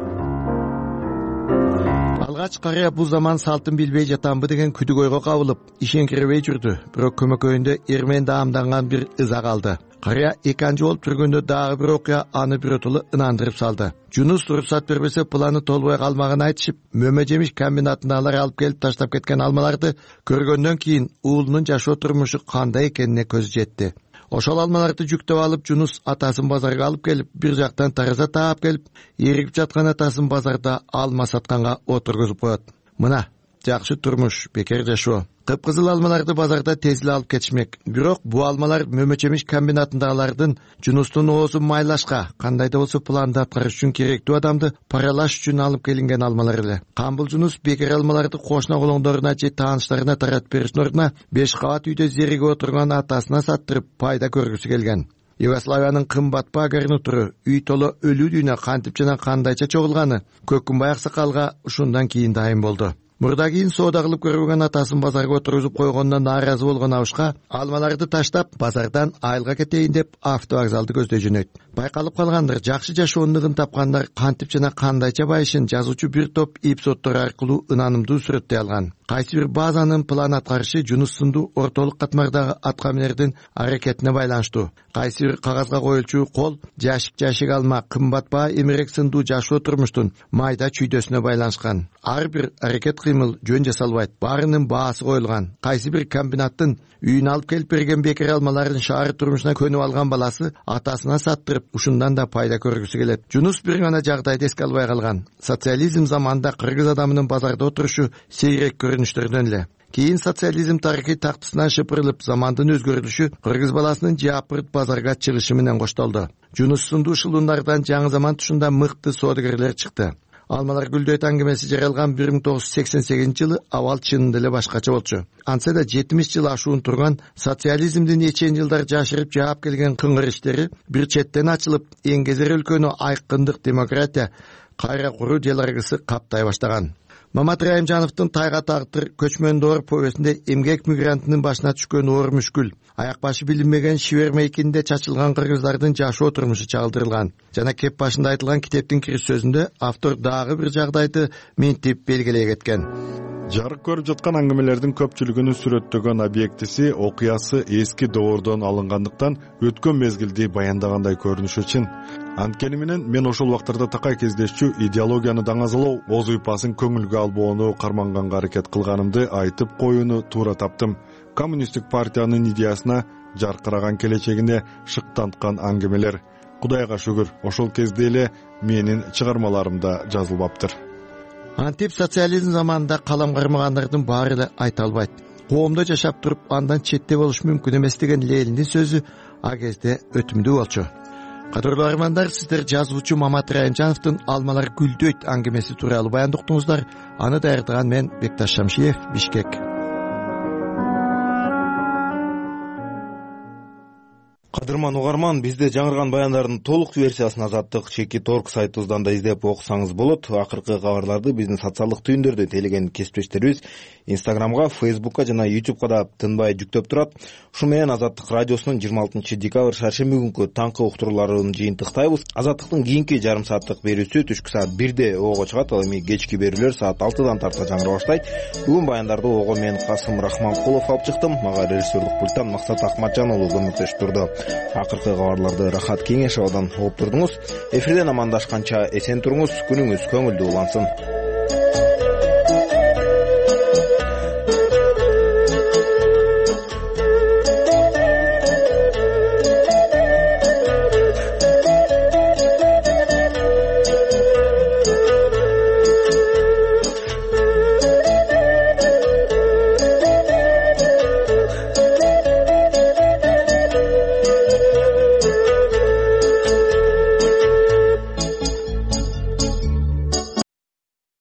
Алгач карыя бул заман салтын билбей жатамбы деген күдүк ойго кабылып, ишенгирбей жүрдү. Бирок көмөкөйүндө эрмен даамданган бир ыза калды. Карыя экинчи болуп жүргөндө дагы бир окуя аны биротоло ынандырып салды. Жунус уруксат бербесе планы толбой калмагын айтышып, мөмө жемиш комбинатындагылар алып келип таштап кеткен алмаларды көргөндөн кийин уулунун жашоо турмушу кандай экенине көзү жетти. Ошол алмаларды жүктөп алып Жунус атасын базарга алып келип, бир жактан тараза таап келип, эригип жаткан атасын базарда алма сатканга отургузуп коет. Мына, жакшы турмуш, бекер жашоо. Кыпкызыл алмаларды базарда тез эле алып кетишмек. Бирок бул алмалар мөмө жемиш комбинатындагылардын Жунустун оозун майлашка, кандай да болсо планды аткарыш үчүн керектүү адамды паралаш үчүн алып келинген алмалар эле. Камбул Жунус бекер алмаларды кошуна колоңдоруна же тааныштарына таратып бериштин ордуна 5 кабат үйдө зериге отурган атасына саттырып пайда көргүсү келген. Югославиянын кымбат баа гарнитуру үй толо өлүү дүйнө кантип жана кандайча чогулганы Көкүмбай аксакалга ушундан кийин дайым болду. Мурда кийин соода кылып көргөн атасын базарга отургузуп койгондон нааразы болгон Абышка алмаларды таштап базардан айылга кетейин деп автовокзалды көздөй жөнөйт. Байкалып калгандыр, жакшы жашоонун тапкандар кантип жана кандайча байышын жазуучу бир топ эпизоддор аркылуу ынанымдуу сүрөттөй алган. Кайсы бир базанын план аткарышы Жунус сындуу ортолук катмардагы аткаминердин аракетине байланыштуу. Кайсы бир кагазга коюлчу кол жашик алма, кымбат баа эмерек сындуу жашоо турмуштун майда чүйдөсүнө байланышкан. Ар бир аракет кыймыл жөн жасалбайт, баарынын баасы коюлган. Кайсы бир комбинаттын үйүнө алып келип берген бекер алмаларын шаар турмушуна көнүп алган баласы атасына саттырып, ушундан да пайда көргүсү келет. Жунус бир гана жагдайды эске албай калган. Социализм заманында кыргыз адамынын базарда отурушу сейрек көрүнүштөрдөн эле. Кийин социализм тарыхый тактысынан шыпырылып, замандын өзгөрүлүшү кыргыз баласынын жапырт базарга чыгышы менен коштолду. Жунус сындуу шылуундардан жаңы заман тушунда мыкты соодагерлер чыкты. Алмалар гүлдөйт аңгемеси жаралган 1988 жылы абал чынында эле башкача болчу. Антса да 70 жыл ашуун турган социализмдин нечен жылдар жашырып жаап келген кыңгыр иштери бир четтен ачылып, эңгезер өлкөнү айкындык демократия кайра куруу диалогысы каптай баштаган. Мамат Райымжановдун Тайга тагдыр көчмөн доор повестинде эмгек мигрантынын башына түшкөн оор мүшкүл, аяк башы билинбеген шибер мейкинде чачылган кыргыздардын жашоо турмушу чагылдырылган. Жана кеп башында айтылган китептин кириш сөзүндө автор дагы бир жагдайды минтип белгилей кеткен. Жарык көрүп жаткан аңгемелердин көпчүлүгүнүн сүрөттөгөн объектиси, окуясы эски доордон алынгандыктан өткөн мезгилди баяндагандай көрүнүшү чын. Анткени менен мен ошол убактарда такай кездешчү идеологияны даңазалоо, оз уйпасын көңүлгө албоону карманганга аракет кылганымды айтып коюуну туура таптым. Коммунисттик партиянын идеясына жаркыраган келечегине шыктанткан аңгемелер. Кудайга шүгүр, ошол кезде эле менин чыгармаларымда жазылбаптыр. Антип социализм заманында калам кармагандардын баары эле айта албайт. Коомдо жашап туруп андан четте болуш мүмкүн эмес деген Лениндин сөзү а кезде өтүмдүү болчу. Кадырлуу армандар, сиздер жазуучу Мамат Райымжановдун «Алмалар гүлдөйт» аңгемеси тууралуу баяндоо уктуңуздар. Аны даярдаган мен Бекташ Шамшиев, Бишкек. Кадырман угарман, бизде жаңырган баяндардын толук версиясын Азаттык Чеки.org сайтыбыздан да издеп окусаңыз болот. Акыркы кабарларды биздин социалдык түйүндөрдө тейлеген кесиптештерибиз Инстаграмга, Фейсбукка жана Ютубка да тынбай жүктөп турат. Ушу менен Азаттык радиосунун 26 декабрь шаршемби күнкү таңкы уктурууларын жыйынтыктайбыз. Азаттыктын кийинки жарым сааттык берүүсү түшкү саат 1-де ого чыгат, ал эми кечки берүүлөр саат 6-дан тарта жаңыра баштайт. Бүгүн баяндарды ого мен Касым Рахманкулов алып чыктым. Мага режиссерлук пульттан Максат Акматжан уулу көмөктөш турду. Акыркы кабарларды Рахат Кеңешовдон угуп турдуңуз. Эфирден амандашканча эсен туруңуз, күнүңүз көңүлдүү улансын.